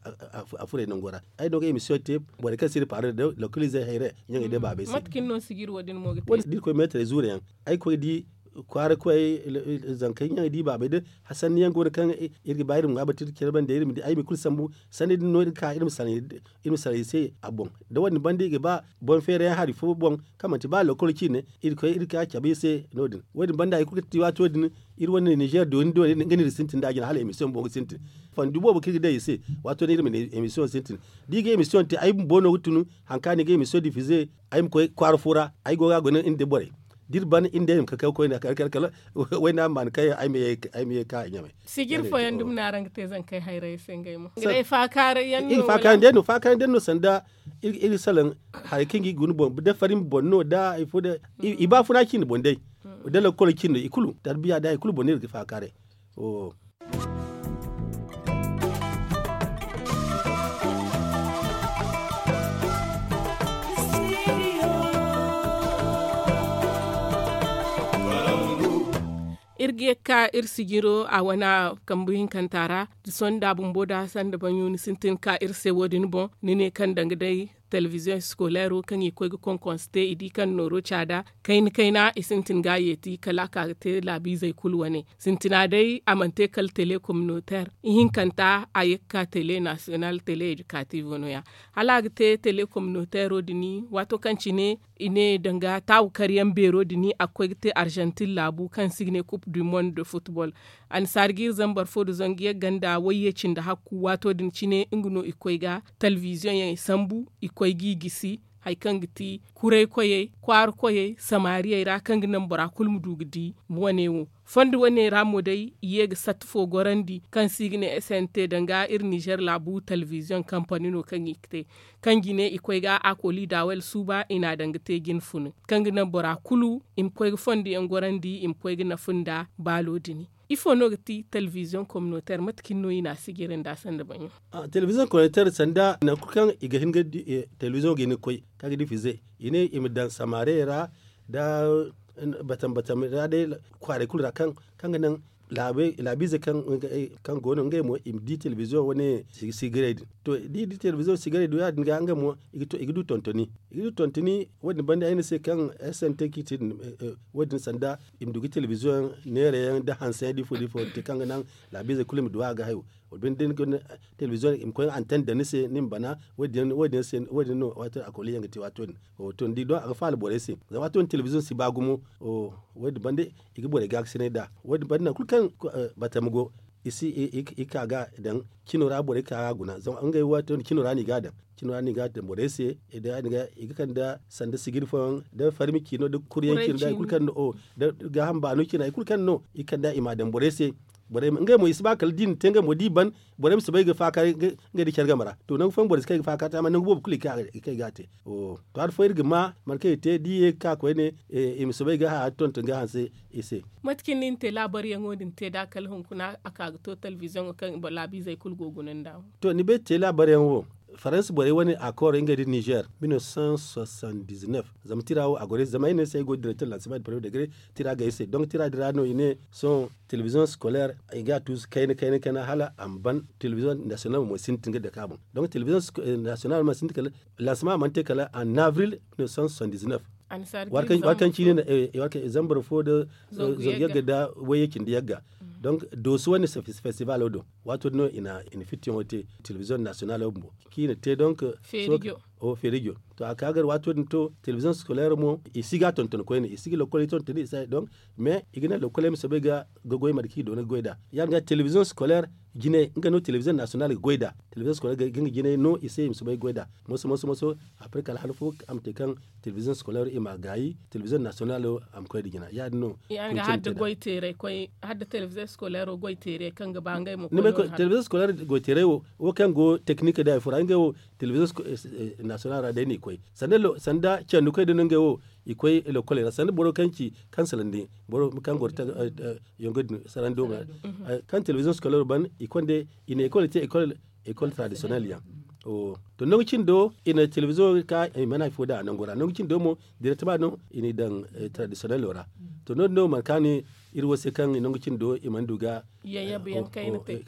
a furay nango ra. Ay no ga emission te borey kaŋ si iri paarey da lokalizey hayray ɲaŋey day baabey se. Mate kaŋ ni no sijiri wo- din mo ga te da iri koy meetarey zuure yaŋ ay koy di kwaara koy zankey ɲaŋey da i baabey da hasanni yaŋ go no kaŋ iri ga ba iri ma ŋwa batu iri ga care banda iri ma di ay ma i kulu sambu. Sanni din no iri ga ka iri ma saray i se a boŋ. Da wo- din banda i ga ba boŋ feera yaŋ hari fo boŋ kaŋ manti ba lokol ciine iri ga koy iri ga ka cabe i se no- din wo- din banda hari kulu kaŋ ti waato din iri wane ninzeer dooni dooni nga no iri sintin nd'a jina hala emission boŋ ga sintin. Fandu boobo kaŋ iri ga day i se waato din iri ma ne emission sintin. Da i ga emission te ay bumbo no ga tun hari kaŋ a ne i ga emission diffuser ay ma koy kwaara fo ra ay go ga a guna iri nda borey da iri ban iri nda iri ma kar kar koyne kala wayna ma maan kaŋ yaŋ ay ma ye ka ɲamay. Sijiri fooyaŋ dumi no araŋ ga te zankey hayray se ngey mo nga day faakaaray yaŋ no faakaaray day no faakaaray day no sanda iri salaŋ hari kaŋ ga i guna boŋ da farin boŋ no da hari fo da i baafuna cindi boŋ day da lakkol cindi i kulu tarbiya da hari kulu boŋ no iri ga faakaaray. Iri ga ye ga ka iri sijiro a wane kambu hinkanta ra. Sonda bumbo da sanda baɲo ni sintin ga ka iri se wo- din boŋ ni ne kaŋ danga day telebiziyoŋ eskoleero kaŋ i koy ga konkonse te i di kaŋ nooro caada kayna kayna i sintin ga a yeeti kala a ka ga te laabiizey kulu wane. Sintina day a mana te kala telekominoteer ihinkanta a ye ga ka tele nasiyonal tele edikatiivo no- ya. Hala a ga te telekominoteero din waato kaŋ cine i ne danga taawu karyaŋ beero din a ga koy ga te arzantin laabu kaŋ se i ga ne kup du mond de futbol. Annasaari ga iri zambar fo nda zangu yagga nda wayye cindi hakku waato din cine nga no i koy ga telebiziyoŋ yaŋ i sambu i koy ga i gisi hari kaŋ ga ti kuray koyey kwaara koyey samaariyey ra kaŋ ga naŋ bora kulu ma du ga di wane wo. Fondo wane ra mo day i ye ga satta fo gorandi kaŋ se i ga ne snt danga iri nizer laabu telebiziyoŋ kampani no kaŋ i ga te kaŋ ga i ne i koy ga a kooli daawel suuba i n'a daŋ ga te jine funu kaŋ ga naŋ bora kulu i ma koy ga fondo yaŋ gorandi i ma koy ga nafa nda baalo din. Ifo no ga ti telebiziyoŋ kominoteer mate cine no i n'a sijiri nda sanda baɲo? Telebiziyoŋ kominoteer sanda nangu kulu kaŋ i ga hin ga telebiziyoŋo ga hin ga koy kaŋ ga difize i ne i ma daŋ samaariyey ra nda batam batam ra day kwaaray kulu ra kaŋ ga naŋ laabiize kaŋ go no ngey mo i ma di telebiziyoŋ wane sigaray din. To da i di telebiziyoŋ sigaray do ya- din ga ngey mo i ga du tontoni. I ga du tontoni wo- din banda ay ne se kaŋ snt kaŋ i te din wo- din sanda i ma du ga telebiziyoŋ neera yaŋ nda hanse yaŋ da ifo da ifo te kaŋ ga naŋ laabiizey kulu i ma du a ga hayo. Wala binde da ni ga telebiziyoŋ i ma koy anten daŋ ni se ni ma bana wo- din no waato a kooli yaŋ ga te waato din. To ni di doŋ a ga faala borey se zama waato din telebiziyoŋ si ba gumo. Wo- din banda i ga borey gaakasinay nd'a wo- din banda nangu kulu kaŋ batama go i si i ka ga daŋ cino ra borey ka ga guna zama ngey waato din cino ra no i ga a daŋ. Cino ra no i ga a daŋ borey se i ga kande sanda sigiri fooyaŋ da farmi cino da kuryaŋ cino da hari kulu kaŋ no da gaaham baano cina hari kulu kaŋ no i kande i m'a daŋ borey se. Ngey mo i si ba kala da i na te ngey mo da i ban borey ma si bay ga faakar ngey da care game ra to nangu fooyaŋ borey si kay ga faakar te amma nangu boobo kulu i kay ga a te. To hari fooyaŋ iri ga ma mate kaŋ i te da i ye ga ka koyne i ma si bay ga haya tonton ga hanse i se. Mate cine no i na te laabaryaŋo din te nd'a kala hunkuna a ka ga to telebiziyoŋo kaŋ laabiizey kulu go guna nd'a wo. To ni bay te laabaryaŋo wo faransa borey wane akooro ngey nda nizer mille neuf cent soixante-dix-neuf. Zama tira wo a goro ay se zama ay ne ay se ay go direkter lansima de premier degre tira ga ay se donk tira din ra no i ne sohõ telebiziyoŋ scolaire i ga a tuusu kayna kayna kayna hala a ma ban. Telebiziyoŋ nasiyonal mo sintin ga dake a boŋ donk telebiziyoŋ nasiyonal mana sintin kala lansima mana te kala en avril mille neuf cent soixante-dix-neuf. Waati kaŋ cine zambar fo nda zangu yagga nda wayye cindi yagga. Donk dooso wane festibalo do waato din no i na fittiyaŋo te telebiziyoŋ nasiyonalo bumbo kaŋ i na te donk feerijo. To a ka gar waato din to telebiziyoŋ scolaire mo i si ga a tonton koyne i si ga lokkoley tontoni i si a donk mais i ga naŋ lokkoley ma soobay ga goy mate kaŋ i doona ga goy nd'a ya- din ga telebiziyoŋ scolaire jinay nga no telebiziyoŋ nasiyonal ga goy nd'a. Telebiziyoŋ scolaire ga nga jinay no i se i ma soobay ga goy nd'a moso moso moso. Après kala han fo a ma te kaŋ telebiziyoŋ scolaire i m'a gaayi telebiziyoŋ nasiyonalo a ma koy nda jina ya- din no. Hala da telebiziyoŋ scolaire goy teeray kaŋ ga ba ngey mo telebiziyoŋ scolaire goy teeray wo wo kaŋ go teknik day fura ngey wo telebiziyoŋ nasiyonal ra day no i koy sanda candukey din no ngey wo i koy lokkoley ra sanda boro kaŋ ci kaŋ salandi boro kaŋ goro yongo din sarando ma kaŋ telebiziyoŋ scolaire ban i konde i na ekol te ekol tradisiyonel yaŋ. To nangu cindo i na telebiziyoŋ ka i mana hari fo daŋ a nangu ra nangu cindo mo direktema no i n'i daŋ tradisiyonelo ra. To no- din no mana kaani iri wo se kaŋ nangu cindo i mana du ga yayyabu yaŋ kayna te.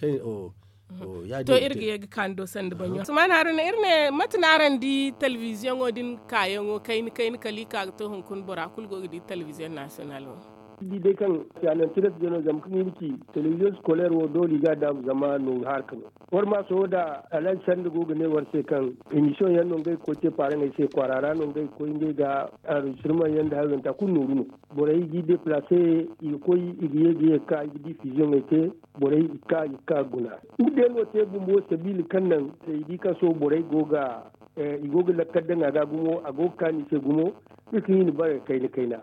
To iri ga ye ga kaani do sanda baɲo sumaana haruna iri ne mate no araŋ di telebiziyoŋo din kaayaŋo kayna kayna kala i ka ga to hunkuna bora kulu go ga di telebiziyoŋ nasiyonal wo. Di day kaŋ siyaanan tiras jano zama kaŋ iri ci telebiziyoŋ scolaire wo doole i ga a daabu zama nooru harka no. War ma sohõ da alhaji sanda go ga ne war se kaŋ emisiyoŋ yaŋ no ngey ga koy te paaraŋey se kwaara ra no ngey ga koy ngey ga anrejistirmaŋ yaŋ nda hayo yaŋ te a kulu nooru no. Borey ga i deplace i ga koy i ga ye ga ye ga ka i ga difiziyoŋey te. Borey i ga ka i ga ka ga guna. Nga day no te bumbo sabiila kaŋ naŋ se i di kaŋ sohõ borey go ga i go ga lakkal daŋ a ga gumo a go ga kaanu i se gumo. Iri ga hin i bare kayna kayna.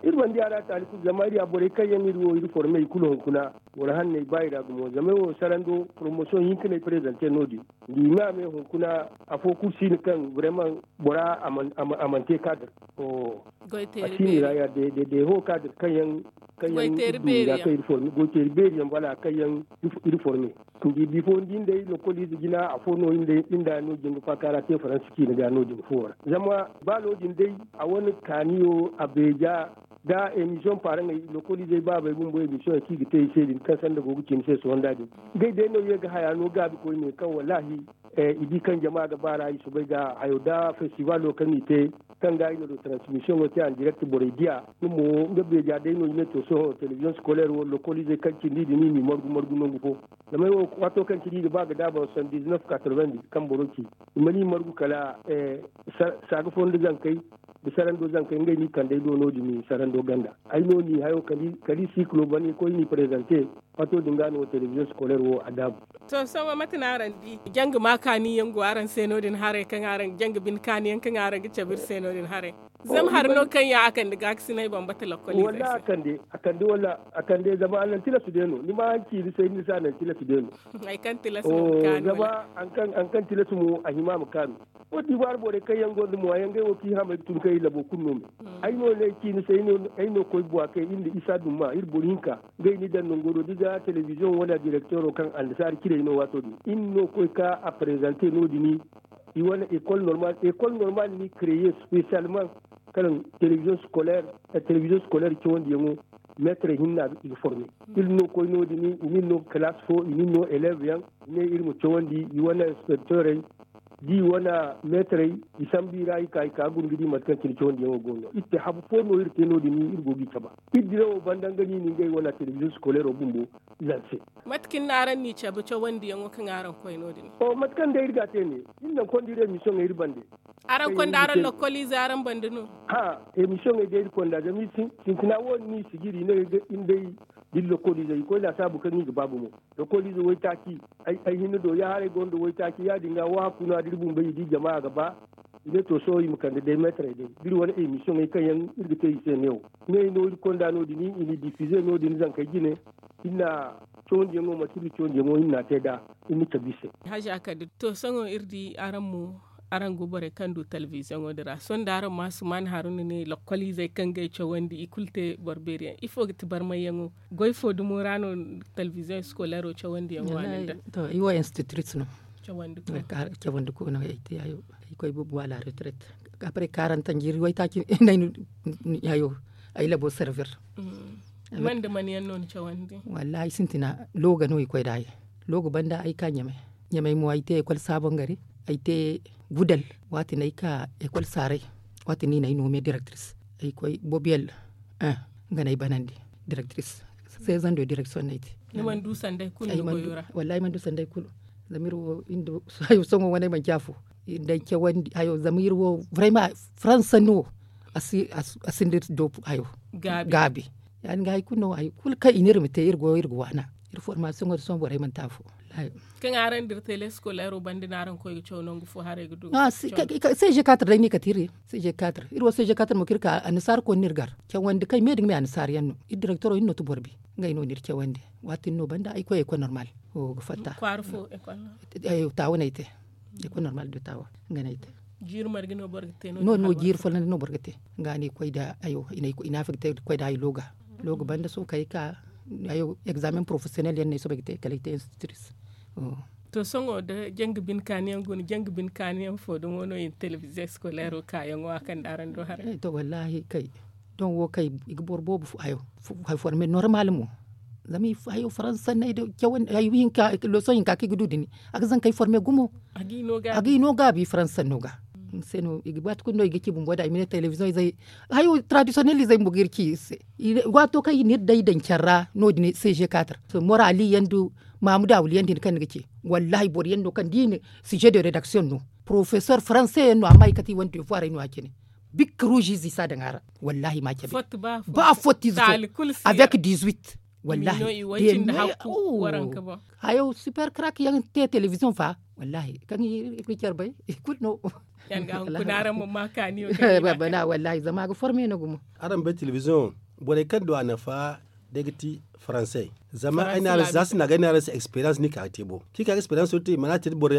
Iri mana di a ra taali kulu zama iri ya borey kaŋ yaŋ iri wo iri forme i kulu hunkuna boro hanney ba i ra gumo zama ay wo sarando poromosiyoŋ hinka no ay prezante no- din. Nda i ma me hunkuna afo kulu si no kaŋ vraiment bora a mana te kaadar. A si no i ra ya deho kaadar kaŋ yaŋ kaŋ yaŋ iri du i ra kaŋ iri forme goyteeri beeri yaŋ bala kaŋ yaŋ iri forme. Nda i bifo nda i nda ay lokol ize jina afo no iri nda no- din ga faaka ra te faransa ciine ga no- din fo ra zama ba no- din day a wane kaaniyo a beeja. da emisiyoŋ paaraŋey lokoliizey baabey bumbo emisiyoŋey kaŋ i ga te i se din kaŋ sanda go ga ci ni se sohõ nda din. Ngey day no ye ga haya no gaabi koyne kaŋ wallaahi i di kaŋ jama ga baar'a i soobay ga hayo nda festivaalo kaŋ i te, kaŋ ga i na do transmisiyoŋo te andirekti borey diya. Nga mo nga beeja day no i ne to sohõ telebiziyoŋ sikolaire wo lokoliizey kaŋ cindi din i n'i margu margu nangu fo. Zama ay wo waato kaŋ cindi i ga ba ga daaba soixante-dix-neuf quatre-vingt-dix kaŋ boro ci, i mana i margu kala saaga fo nda zankey nda sarando zankey ngey no i kand'ey do no- din sarando ganda. Ay no n'i hayo kala i sikilo ban i koy n'i prezante. Waato din ga no telebiziyoŋ sikolaire wo a daabu. To sohõ mate no araŋ di? Janga ma kaani yaŋ go araŋ se no- din haray kaŋ araŋ janga bine kaani yaŋ kaŋ araŋ ga cabe iri se no- din haray? Zama hari no kaŋ yaŋ a kande gaakasinay bambata lokoliizey se. A kande wala a kande zama a naŋ tilasu day no ni ma haŋ ciini se ni se a naŋ tilasu day no. Hari kaŋ tilasu mo a hima a ma kaanu. Kot divaar borey kaŋ yaŋ gonda mo a yaŋ ngey wo kaŋ i hamay ga tun kaŋ i labo kulu no me. Ay no ne ay ci ni se ay no koy buwa kay iri nda isa dumma iri boro hinka. Ngey ni daŋ nango do da i ga telebiziyoŋ wane direkteero kaŋ annasaara cirey no waato din iri no koy ka a prezante no- din. I wane ekol normal ekol normal ni kreye spesiyalman kaŋ telebiziyoŋ sikolaire telebiziyoŋ sikolaire cawandiyaŋo meetarey hinne no a ga i ga forme. Iri no koy no- din i n'iri no ga kalaasi fo i n'iri no eleev yaŋ i ne iri ma cawandi i wane inspekteerey da i wane meetarey. I sambu i ra i ka i ka guna ga di mate kaŋ cine cawandiyaŋo go no iri te habu fo no iri te no- din iri go ga i cabe. Iri dirawo banda nga no i na ngey wane telebiziyoŋ sikolairo bumbo. Mate kaŋ no araŋ n'i cabe cawandiyaŋo kaŋ araŋ koy no- din? Mate kaŋ day iri ga a te ne iri naŋ konda iri emisiyoŋey iri bande. Araŋ konda araŋ lokoliizey araŋ bande no? Haa, emisiyoŋey day iri konda zama iri sintina wo- din no i sijiri i ne iri day da iri lokoliizey i koy laasaabu kaŋ i ga ba gumo. Lokoliize waytaaci ay hinne do ya haray gonda waytaaci ya- din ga wo hakku no a da iri bumbey i di jama a ga ba. I ne to sohõ i ma kande day meetarey day da iri wane emisiyoŋey kaŋ yaŋ iri ga te i se neewo. Ngey no iri konda no- din i n'i difize no- din zankey jine. Iri na cawandiyaŋo manti iri na cawandiyaŋo iri n'a te nd'a. Iri na cabe i se. Haza kadir to sohõ iri di araŋ mo araŋ go borey kaŋ du telebiziyoŋo din ra sohõ da araŋ ma asuman haruna ne lokoliizey kaŋ ga ay cawandi i kulu te boro beeri yaŋ ifo ga ti barmayyaŋo? Goy fo dumo ra no telebiziyoŋ sikolairo cawandiyaŋ waani nda? To ay wo institutrice no. Cawandi ko no ay te ay koy bumbo a la retraite. Après quarante ans jiiri waytaaci no ay na hayo ay labo servir. Man nda man yaŋ no ni cawandi? Wallaahi sintina looga no i koy nd'a. Looga banda ay ka ɲamay. Ɲamay mo ay te ekol saabangari. Ay te gudal. Waati no ay ka ekol saaray. Waati no i na ay noome direktiris. Ay koy bobiyel. Nga no ay banandi direktiris. Seezando direksiyoŋ no ay te. Ni mana du sanday kulu ni goyo ra? Wallaahi ay mana du sanday kulu. Zama iri wo iri nda hayo sohõ wane manci afo. Iri nda ay cawandi hayo zama iri wo, farayma faransa no. A si nda iri doobu hayo. Gaabi. Ya- din ga hari kulu no hari kulu kaŋ i ne iri ma te iri go iri ga waana. Iri formasiyoŋo din sohõ borey mana te afo. Kaŋ araŋ dira tele sikolairo banda no araŋ koy ga caw nangu fo haray ga du? Seeze katar day no i kate iri. Seeze katar iri wo seeze katar mo kaŋ iri ka annasaara koy no iri gar. Cawandi kaŋ me nda nga me annasaara yaŋ no. Iri direktoro iri no ti boro bi. Ngey no n'iri cawandi. Waati din no banda ay koy ekol normal. Ga fatta. Taawa no ay te. Ekol normal de taawa. Nga no ay te. Jiiri marga no boro ga te no? No no jiiri folloŋ no boro ga te. Nga no i koy nda hayo i na affekte ga koy nda hayo looga. Looga banda sohõ kala ay ka hayo egzaamen porofesiyonel yaŋ no ay soobay ga te kala ay te institutrice. To sohõ da janga bine kaani yaŋ go no janga bine kaani yaŋ fo dumo no i na telebiziyoŋ sikolairo kaayaŋo a kande araŋ do haray? To wallaahi kay. Don wo kay i ga boro boobo hayo forme normal mo. Zama hayo faransa sanney da cawandi hayo hinka leesoŋ hinka kaŋ i ga du din. A ga zankey forme gumo. A ga i no gaabi faransa sanno ga. Ni se no i ga baati kulu no i ga ci bumbo nd'a i ma ne telebiziyoŋ izey hayo taradisiyonel izey bumbo ga iri ci iri se. Waato kaŋ i n'iri day daŋ care ra no- din seeze katar morali yaŋ nda mahamudu awuli yaŋ din kaŋ ni ga ci. Wallaahi boro yaŋ no kaŋ da i na size de redaksiyoŋ no. Porofesor faranse yaŋ no amma i kate i wane defuwarey no ya- cine. Bikka ruuziize i si a daŋ a ra. Wallaahi ma cabe. Ba fotti ize fo. Avec dizuit. Wallaahi. Hayo super krak yaŋ te telebiziyoŋ fa. Wallaahi kaŋ iri ga care bay i kulu no. Bana wallaahi zama a ga forme no gumo. Araŋ bay telebiziyoŋ borey kaŋ du a nafa day ga ti faransey. Zama ay na araŋ se za sinda ga ay na araŋ se eksperiyans ni ka ga te bo kaŋ i ka ga eksperiyans wo te i mana te da boro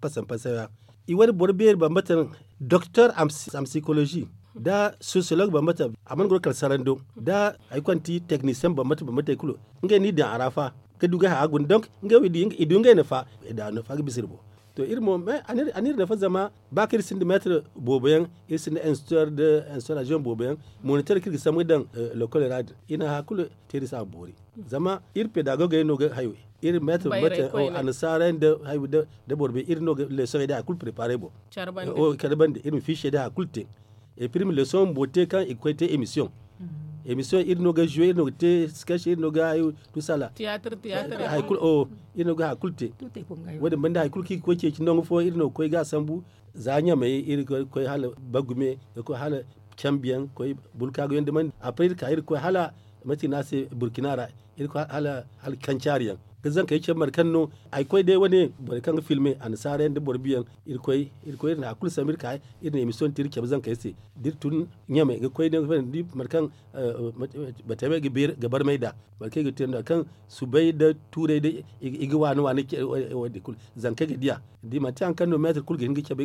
pasaŋ pasaŋ ra. I wane boro beeri bambata doktor, am psikolozi nda sosiyolog bambata. A mana goro kala sarando nda hari kaŋ ti teknisiyeŋ bambata bambata i kulu. Ngey no i daŋ a ra fa ga du ga haya guna donk ngey wo i du ngey nafa. I daŋ a nafa ga bisa iri boŋ. To iri mo a n'iri nafa zama ba kaŋ iri sinda meetar boobo yaŋ, iri sinda instructeur de installation boobo yaŋ, moniteur kaŋ iri ga sambu ga daŋ lokol ra din, iri na hari kulu te iri se a ma boori. Zama iri pedagogey no ga hayo, iri meetar annasaarey nda boro bay, iri no ga leçon day hari kulu préparer boŋ. Care bande iri ma fiche day hari kulu te. Epirmi leçon bumbo te kaŋ i ga koy te émission. Émission iri no ga jouer, iri no ga te sketch, iri no ga hayo, tusala. Théâtre théâtre. Hari kulu o iri no ga hari kulu te. Wo- din banda hari kulu kaŋ i ga koy ceeci nangu fo iri no ga koy ga a sambu. Za ɲamey iri ga koy hala bagume, ga koy hala cambiyaŋ, koy bulkaagu yaŋ dumandi après iri ka iri ga koy hala mate no a se burkina ra. Iri ga koy hala kancaari yaŋ ga zankey cabe mate kaŋ no ay koy day wane borey kaŋ ga filme annasaara yaŋ nda boro biyaŋ. Iri koy iri na hari kulu sambu iri ka iri na émission te iri cabe zankey se da iri tun ɲamey ga koy day ga faham da iri mate kaŋ batame ga barmay nd'a. Mate kaŋ i ga te nd'a kaŋ subay nda tuuray day i ga waani waani. Wo- din kulu zankey ga diya da i manti hari kaŋ no meetar kulu ga hin ga cabe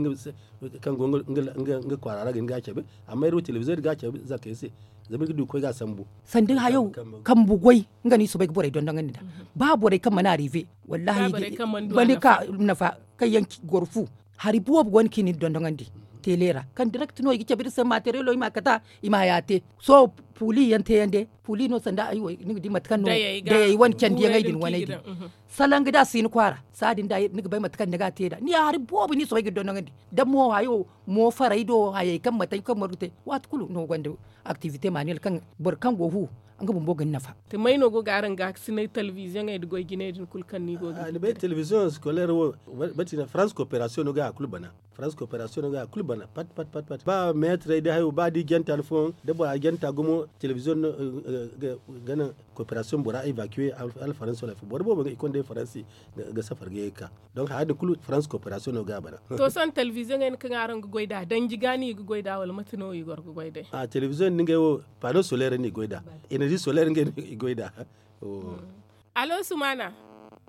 kaŋ go nga kwaara ra ga hin ga a cabe. Amma iri wo television iri ga a cabe zankey se zama iri ga du ga koy ga a sambu. Sanda hayo kambu goy nga no i soobay ga borey dondonandi nd'a. Ba borey kaŋ mana arrive wallahi i ga ka nafa kaŋ yaŋ goro fu. Hari boobo go no kaŋ i na iri dondonandi tele ra kaŋ direct no i ga cabe iri se materielo i ma a kata i ma haya te. Sohõ puli yaŋ te yaŋ day puli no sanda ay wo ni ga di mate kaŋ no dayey wane candi yaŋey din waney din. Salaŋ ga da si ni kwaara saadin da ni ga bay mate kaŋ ni ga a te nd'a ni ya hari boobo ni soobay ga iri dondonandi. Da mo hayo mo faray do hayey kaŋ mate kaŋ margu te waati kulu no gonda activité manuel kaŋ boro kaŋ go fu nga bumbo ga ni nafa. Te may no go ga araŋ ga sinay television ey da goy jinay din kulu kaŋ ni go ga ni bay television scolaire wo mate no france coopération no ga hari kulu bana. France coopération no ga hari kulu bana pat pat pat pat ba meetarey da hayo ba da i janta ni fooyaŋ da bora janta gumo television no ga naŋ coopération bora évacuer hala faransi wala boro boobo ga i konda faransi ga safar ga ye ga ka. Donc haya din kulu france coopération no ga a bana. To sohõ television ey kaŋ araŋ ga goy nd'a danji ga no i ga goy nd'a wala mate no i goro ga goy day? A television din ngey wo panneau solaire no i goy nd'a. Énergie solaire ngey no i goy nd'a. Allo sumaana.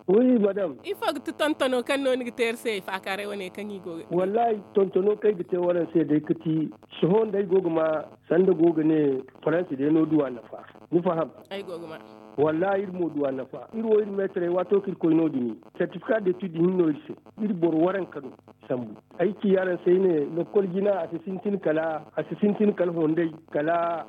Wi madam. Ifo ga ti tontono kaŋ no ni ga te iri se faakaaray wane kaŋ i go ga te? Wallahi tontono kaŋ ay ga te waraŋ se day ga ti sohõ nda ay go ga ma sanda go ga ne faransi day no du a nafa. Ni faham? Ay go ga ma. Wallahi iri mo du a nafa iri wo iri meetarey waato kaŋ iri koy no- din certificat d'étude hinno iri se. Iri boro waranka no sambu. Ay ci araŋ se ay ne lokkol jina a si sintin kala a si sintin kala honday kala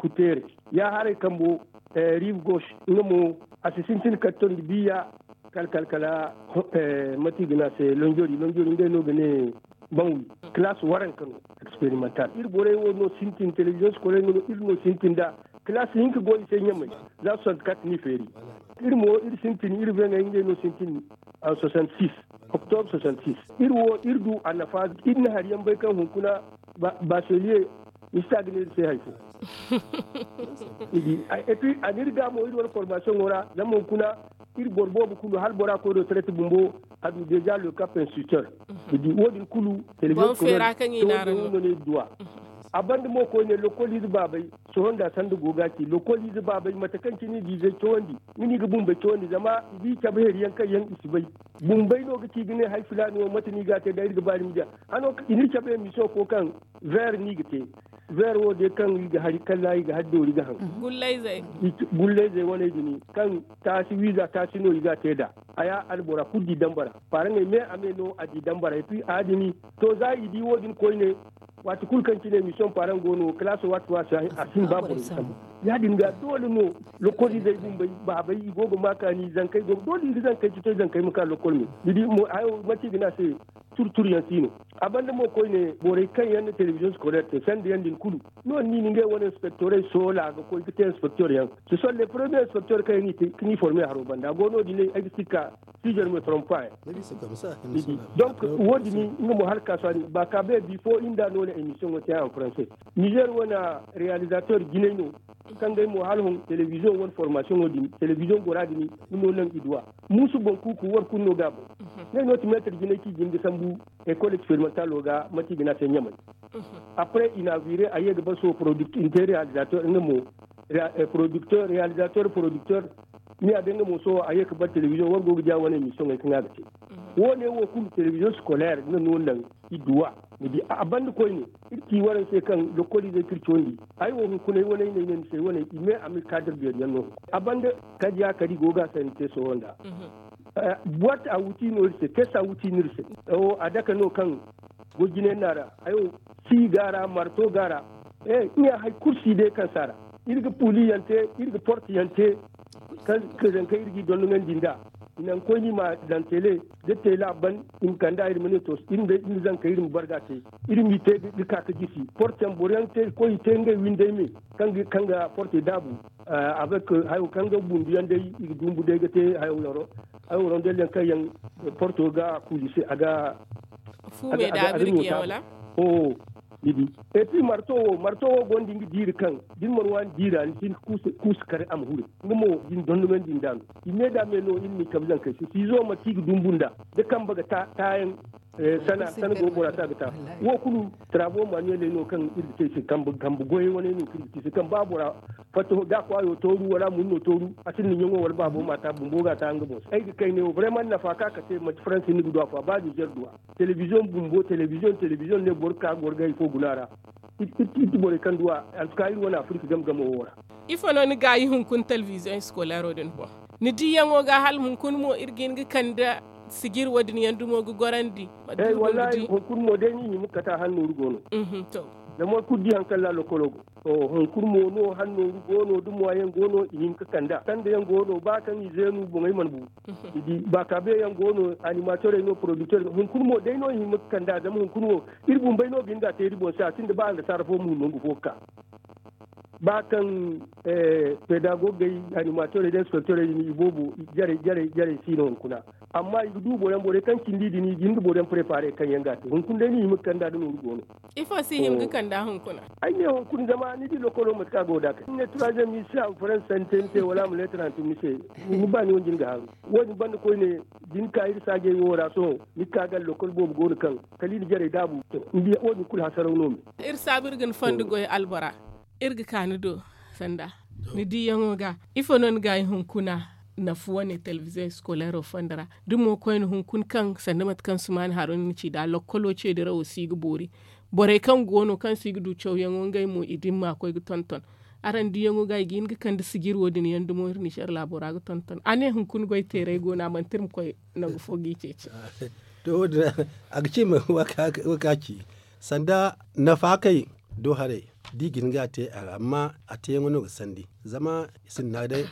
kuteere. Ya haray kambo rive gauche nga mo a si sintin kala tondi biya kala kala kala mate i ga ne a se lonjori lonjori ngey no ga ne banwi. Classe waranka no expérimental iri borey wo no sintin télévision scolaire no iri no sintin da classe hinka go i se ɲamay. Za soixante-quatre ni feeri iri mo iri sintin iri veŋey ngey no sintin en soixante-six octobre soixante-six. Iri wo iri du a nafa iri na hari yaŋ bay kaŋ hunkuna bachelier ni si ta ga ne iri se hari fo. Ni di et puis a n'iri ga mo iri wane formation wo ra zama hunkuna iri boro boobo kulu hala bora koy retraite bumbo a du déjà le cap instituteur. Ni di wo- din kulu télévision scolaire no no ne duwa. A banda mo koyne lokkol ize baabey sohõ nda sanda go ga ci lokkol ize baabey mate kaŋ cine i ga izey cawandi nga no i ga bumbey cawandi zama i ga i cabe hari yaŋ kaŋ yaŋ i si bay. Bumbey no ga ci ga ne hari filaani wo mate no i ga a te da iri ga ba iri ma diya hano i n'iri cabe émission fo kaŋ vert no i ga te. Vert wo day kaŋ i ga hari kalla i ga hari doori ga haŋ gullayzey waney din kaŋ taasi wiiza taasi no i ga a te nd'a. Haya albora kulu di dambara paaraŋey me a me no a di dambara et puis a din to za i di wo- din koyne waati kulu kaŋ cine mission paaraŋ go no kalaaso waati fo a si hin ba borey ga sambu. Ya- din ga doole no lokol izey bumbey baabey i go ga ma kaani zankey go doole i ga zankey citoy zankey ma ka lokol me ni di mo hayo manti i ga ne a se. Turtur yaŋ si no a banda mo koyne borey kaŋ yaŋ na télévision scolaire te sanda yaŋ din kulu no- din ni ngey wane inspecteurey soola ga koy ga te inspecteur yaŋ. Ce sont les premiers inspecteurs kaŋ yaŋ ga ni former haro banda a go no- din ay ga si ga ka si je ne me trompe pas. Donc wo- din nga mo hala ka sohõ ba ka bay bifo iri nda no na émission wo te en français. Niger wane réalisateur jinay no kaŋ ga ay mo hala hon télévision wane formation wo- din télévision gora din nga no naŋ i duwa muusu boŋ kuuku war kulu no ga a boŋ. Ngey no ti meetar jinay kaŋ i jin ga sambu école expérimentale wo ga mate i ga ne a se ɲamay. Après inauguré a ye ga ba sohõ product inte réalisateur nga mo producteur réalisateur producteur ni a day nga mo sohõ a ye ga ba télévision war go ga diya wane émission ey kaŋ a ga te. Wo- ne wo kulu télévision scolaire nga no naŋ i duwa. Ni di a banda koyne iri ci waraŋ se kaŋ lokol izey kaŋ iri cawandi ay wo hunkuna ay wane ay ne ay ne ni se ay wane i me a ma iri kaadar beeri yaŋ no. A banda kadi ya kadi go ga a se ni te sohõ nda Buwat a wuti no iri se, kes a wuti no iri se. A dake no kaŋ go jine no a ra. Hayo si ga a ra, marto ga a ra. Iri ɲa hari kulu si day kaŋ si a ra. Iri ga puuli yaŋ te, iri ga porte yaŋ te. Kaŋ zankey iri g'i dondonandi nd'a. I naŋ koyne i ma daŋ tele da tele a ban. I ma kand'a iri ma ne to iri ma zankey iri ma barga te. Iri m'i te ga ka ga jisi porte yaŋ boro yaŋ ga te ga koy i te ngey windey me. Kaŋ ga portey daabu. Avec hayo kaŋ ga bundu yaŋ day i ga dumbu day ga te hayo yaŋ ro. Hayo ro day laŋ kaŋ yaŋ porto ga kuuli se a ga. Fu me da a birji yaŋ wala? Oho. Ni di. Epi marto wo marto wo gonda nga diiri kaŋ da ni mana waani diira ni si hin ga kuusa kare a ma hure. Nga mo da ni dondonandi nd'a no i me da me no iri n'i kabe zankey se siizo manti i ga dumbu nd'a da kambe ga taayaŋ. Sana go bora se a ga ta. Wo kulu tarabo manuweley no kaŋ iri ga te i se kambe goyey wane no kaŋ iri ga te i se kaŋ ba bora fatta da kwaayo tooru wala a mun no tooru a sinda ɲaŋo wala baabo ma ta bumbo ga a ta nga boŋ se ay ga kayne wo brema nafa ka ka te manti faransi ni ga du afo a ba nizer du a. Telebiziyoŋ bumbo telebiziyoŋ telebiziyoŋ ne boro ga ka ga war ga hari fo guna ra. Iri ti borey kaŋ du a. Antuka iri wane afirika game game wo ra. Ifo no ni gaayi hunkuna telebiziyoŋ eskoleero din boŋ? Ni diiyaŋo ga hala hunkuna mo iri ga hin ga kande sijir wo- din yaŋ dumo ga gorandi? Hunkuna mo day ni hima ga kate a hari nooru go no. Zama war kulu di hari kaŋ ra lokolo go. Hunkuna mo no hari nooru go no da moyen go no i hima ga kand'a sanda yaŋ go no ba kaŋ i zeenu boŋey mana bu. Ni di ba kaabe yaŋ go no animatorey no porodikter hunkuna mo day no i hima ga kand'a zama hunkuna wo iri bumbey no ga hin ga a te iri boŋ se a sinda ba annasaara fo ma hun nangu fo ga ka. Ba kaŋ pedagogey animatorey da inspektorey din i boobo jarey jarey jarey si no hunkuna. Amma i ga du boro yaŋ borey kaŋ cindi din i ga hin ga boro yaŋ preparer kaŋ yaŋ ga a te hunkuna day no i hima ga kand'a da nooru go no. Ifo si hima ga kand'a hunkuna? Ay ne hunkuna zama ni di lokolo mate kaŋ a go da kay ni ne troisième ni si a ma faransi sanni te ni se wala a ma leetar hantum ni se. Ni ba ni wanji ni ga haaru. Wo- din banda koyne da ni ka iri saajey wo ra sohõ ni ga ka gala lokol boobo go no kaŋ kala i na jarey daabu. Ni di wo- din kulu hasaraw no me. Iri saabu iri ga ni fondo goy albora. Iri ga ka ni do sanda ni diiyaŋo ga ifo no ni gaayi hunkuna? Nafa wane telebiziyoŋ eskoleero fondo ra da mo koyne hunkuna kaŋ sanda mate kaŋ sumaani haro ni na ci nd'a lokkolo ceedirawo si ga boori. Borey kaŋ go no kaŋ si ga du cawyaŋo ngey mo i dimma koy ga tonton. Araŋ diiyaŋo ga i ga hin ga kande sijir wo- din yaŋ dumo iri nizer laabo ra ga tonton a ne hunkuna goy teeray go no a manti iri ma koy nangu fo g'i ceeci. To wo- din a ga ci ma wo- ka ci sanda nafa kay do haray da i ga hin ga a te a ra amma a teeyaŋo no ga sandi. Zama i sinda naŋ day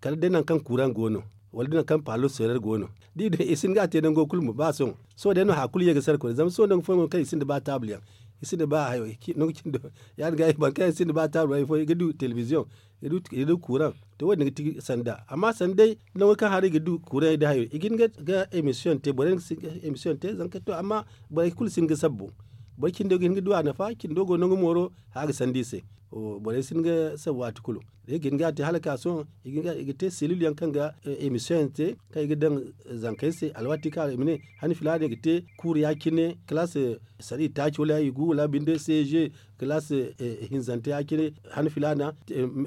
kala day nangu kaŋ kuuraŋ go no wala day nangu kaŋ paalo seerar go no da i si hin ga a te nango kulu ma ba sohõ. Sohõ day no haya kulu ye ga sara koyne zama sohõ nangu fooyaŋ go no kaŋ i sinda ba taabuyaŋ i sinda ba hayo nangu cindo. Ya- din ga boro kaŋ yaŋ sinda ba taabuyaŋ ifo i ga du telebiziyoŋ i ga du kuuraŋ. To wo- din ga ti sanda amma sanda day nango kaŋ hara i ga du kuuraŋ day hayo i ga hin ga emisiyoŋ te borey ga si ga emisiyoŋ te zanka to amma borey kulu si hin ga sabbu. Boro cindo ga hin ga du a nafa cindo go nangu mooro haya ga sanda i se. Borey si hin ga sabbu waati kulu da i ga hin ga a te hala ka sohõ i ga te selil yaŋ kaŋ ga emisiyoŋ yaŋ te kaŋ i ga daŋ zankey se alwaati kaŋ i ma ne han filaana i ga te kuuru ya- cine kalaas sari taaci wala i gu wala binde seeze kalaas hinzante ya- cine han filaana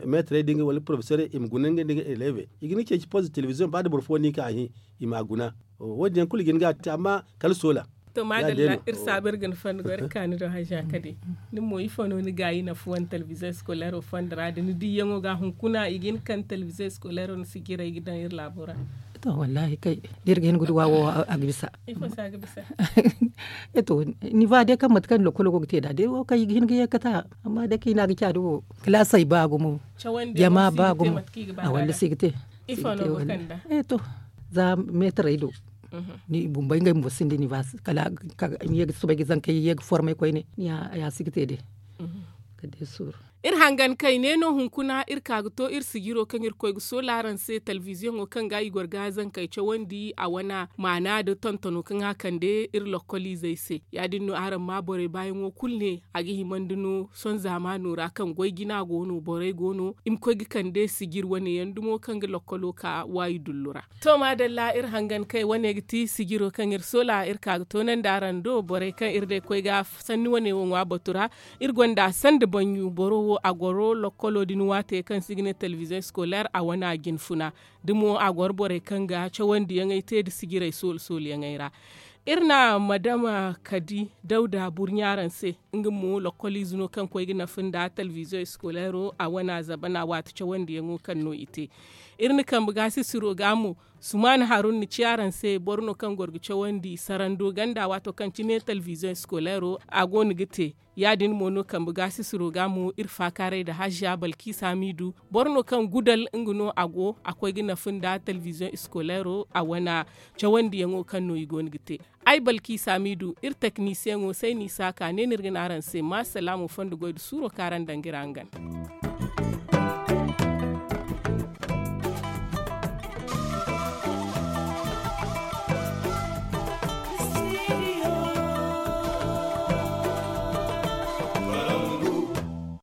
meetarey da ngey wala porofesorey i ma guna ngey nda ngey eleve i ga ni ceeci poze telebiziyoŋ ba da boro fo no i ka a hin i m'a guna. Wo- din yaŋ kulu i ga hin ga a te amma kala soola. To maadalla iri saabu iri ga ni fondo goy iri ga ka ni do haza kadi. Ni mo ifo no ni gaayi nafa wane telebiziyoŋ eskoleero fondo ra da ni diiyaŋo ga hunkuna i ga hin ga kande telebiziyoŋ eskoleero ni si jiray ga daŋ iri laabo ra? To wallaahi kay da iri ga hin ga duw'a wo a ga bisa. Ifo se a ga bisa? E to ni ba day kaŋ mate kaŋ lokolo go ga te nd'a day wo kaŋ i ga hin ga ye ga kate a amma day kaŋ i ne a ga caadi wo kalaasey ba gumo. Jama ba gumo. A walla si ga te. Ifo no go kand'a? E to za meetarey do. Ni bumbey ngey bumbo sinda ni ba kala ni ye ga soobay ga zankey ye ga formey koyne ni ya si ga te day. Kala day suuru. Iri hangan kay ne no hunkuna iri ka ga to iri sijiro kaŋ iri koy ga soola araŋ se telebiziyoŋo kaŋ ga i goro ga zankey cawandi a wana maana nda tontono kaŋ a kande iri lokkoliizey se. Ya- din no araŋ ma borey baayaŋo kulu ne a ga himandi no sohõ zaamaano ra kaŋ goy jina go no borey go no i ma koy ga kande sijir wane yaŋ dumo kaŋ ga lokkolo ka waayi dullu ra. To maadalla iri hangan kay wane ga ti sijiro kaŋ iri soola iri ka ga toonandi araŋ do borey kaŋ iri day koy ga sanni wane wo ŋwa batu ra. Iri gonda sanda banyu boro wo a goro lokkolo din waate kaŋ se i ga ne telebiziyoŋ eskoleer a wane a jina funa. Da mo a goro borey kaŋ ga cawandiyaŋey te nda sijirey soolu sooluyaŋey ra. Iri na madama kadi dawda burɲa araŋ se. Nga mo lokoliize no kaŋ koy ga nafa nda televiziyoŋ eskoleero a wane a zabana waati cawandiyaŋo kaŋ no i te. Iri na kambe gaasisiro ga mo, sumaana harun na ci araŋ se boro no kaŋ goro ga cawandi sarando ganda waato kaŋ cine televiziyoŋ eskoleero a go no ga te. Ya- din mo no kambe gaasisiro ga mo iri faakaaray nda haziya balkiisa miidu, boro no kaŋ gudal nga no a go a koy ga nafa nda televiziyoŋ eskoleero a wane cawandiyaŋo kaŋ no i go no ga te. Ay balkiisa miidu iri teknisiyaŋo sayni saaka ne no iri ga ne araŋ se ma salaamo fondo goy nda suuro kaŋ araŋ daŋ ga iri hangan.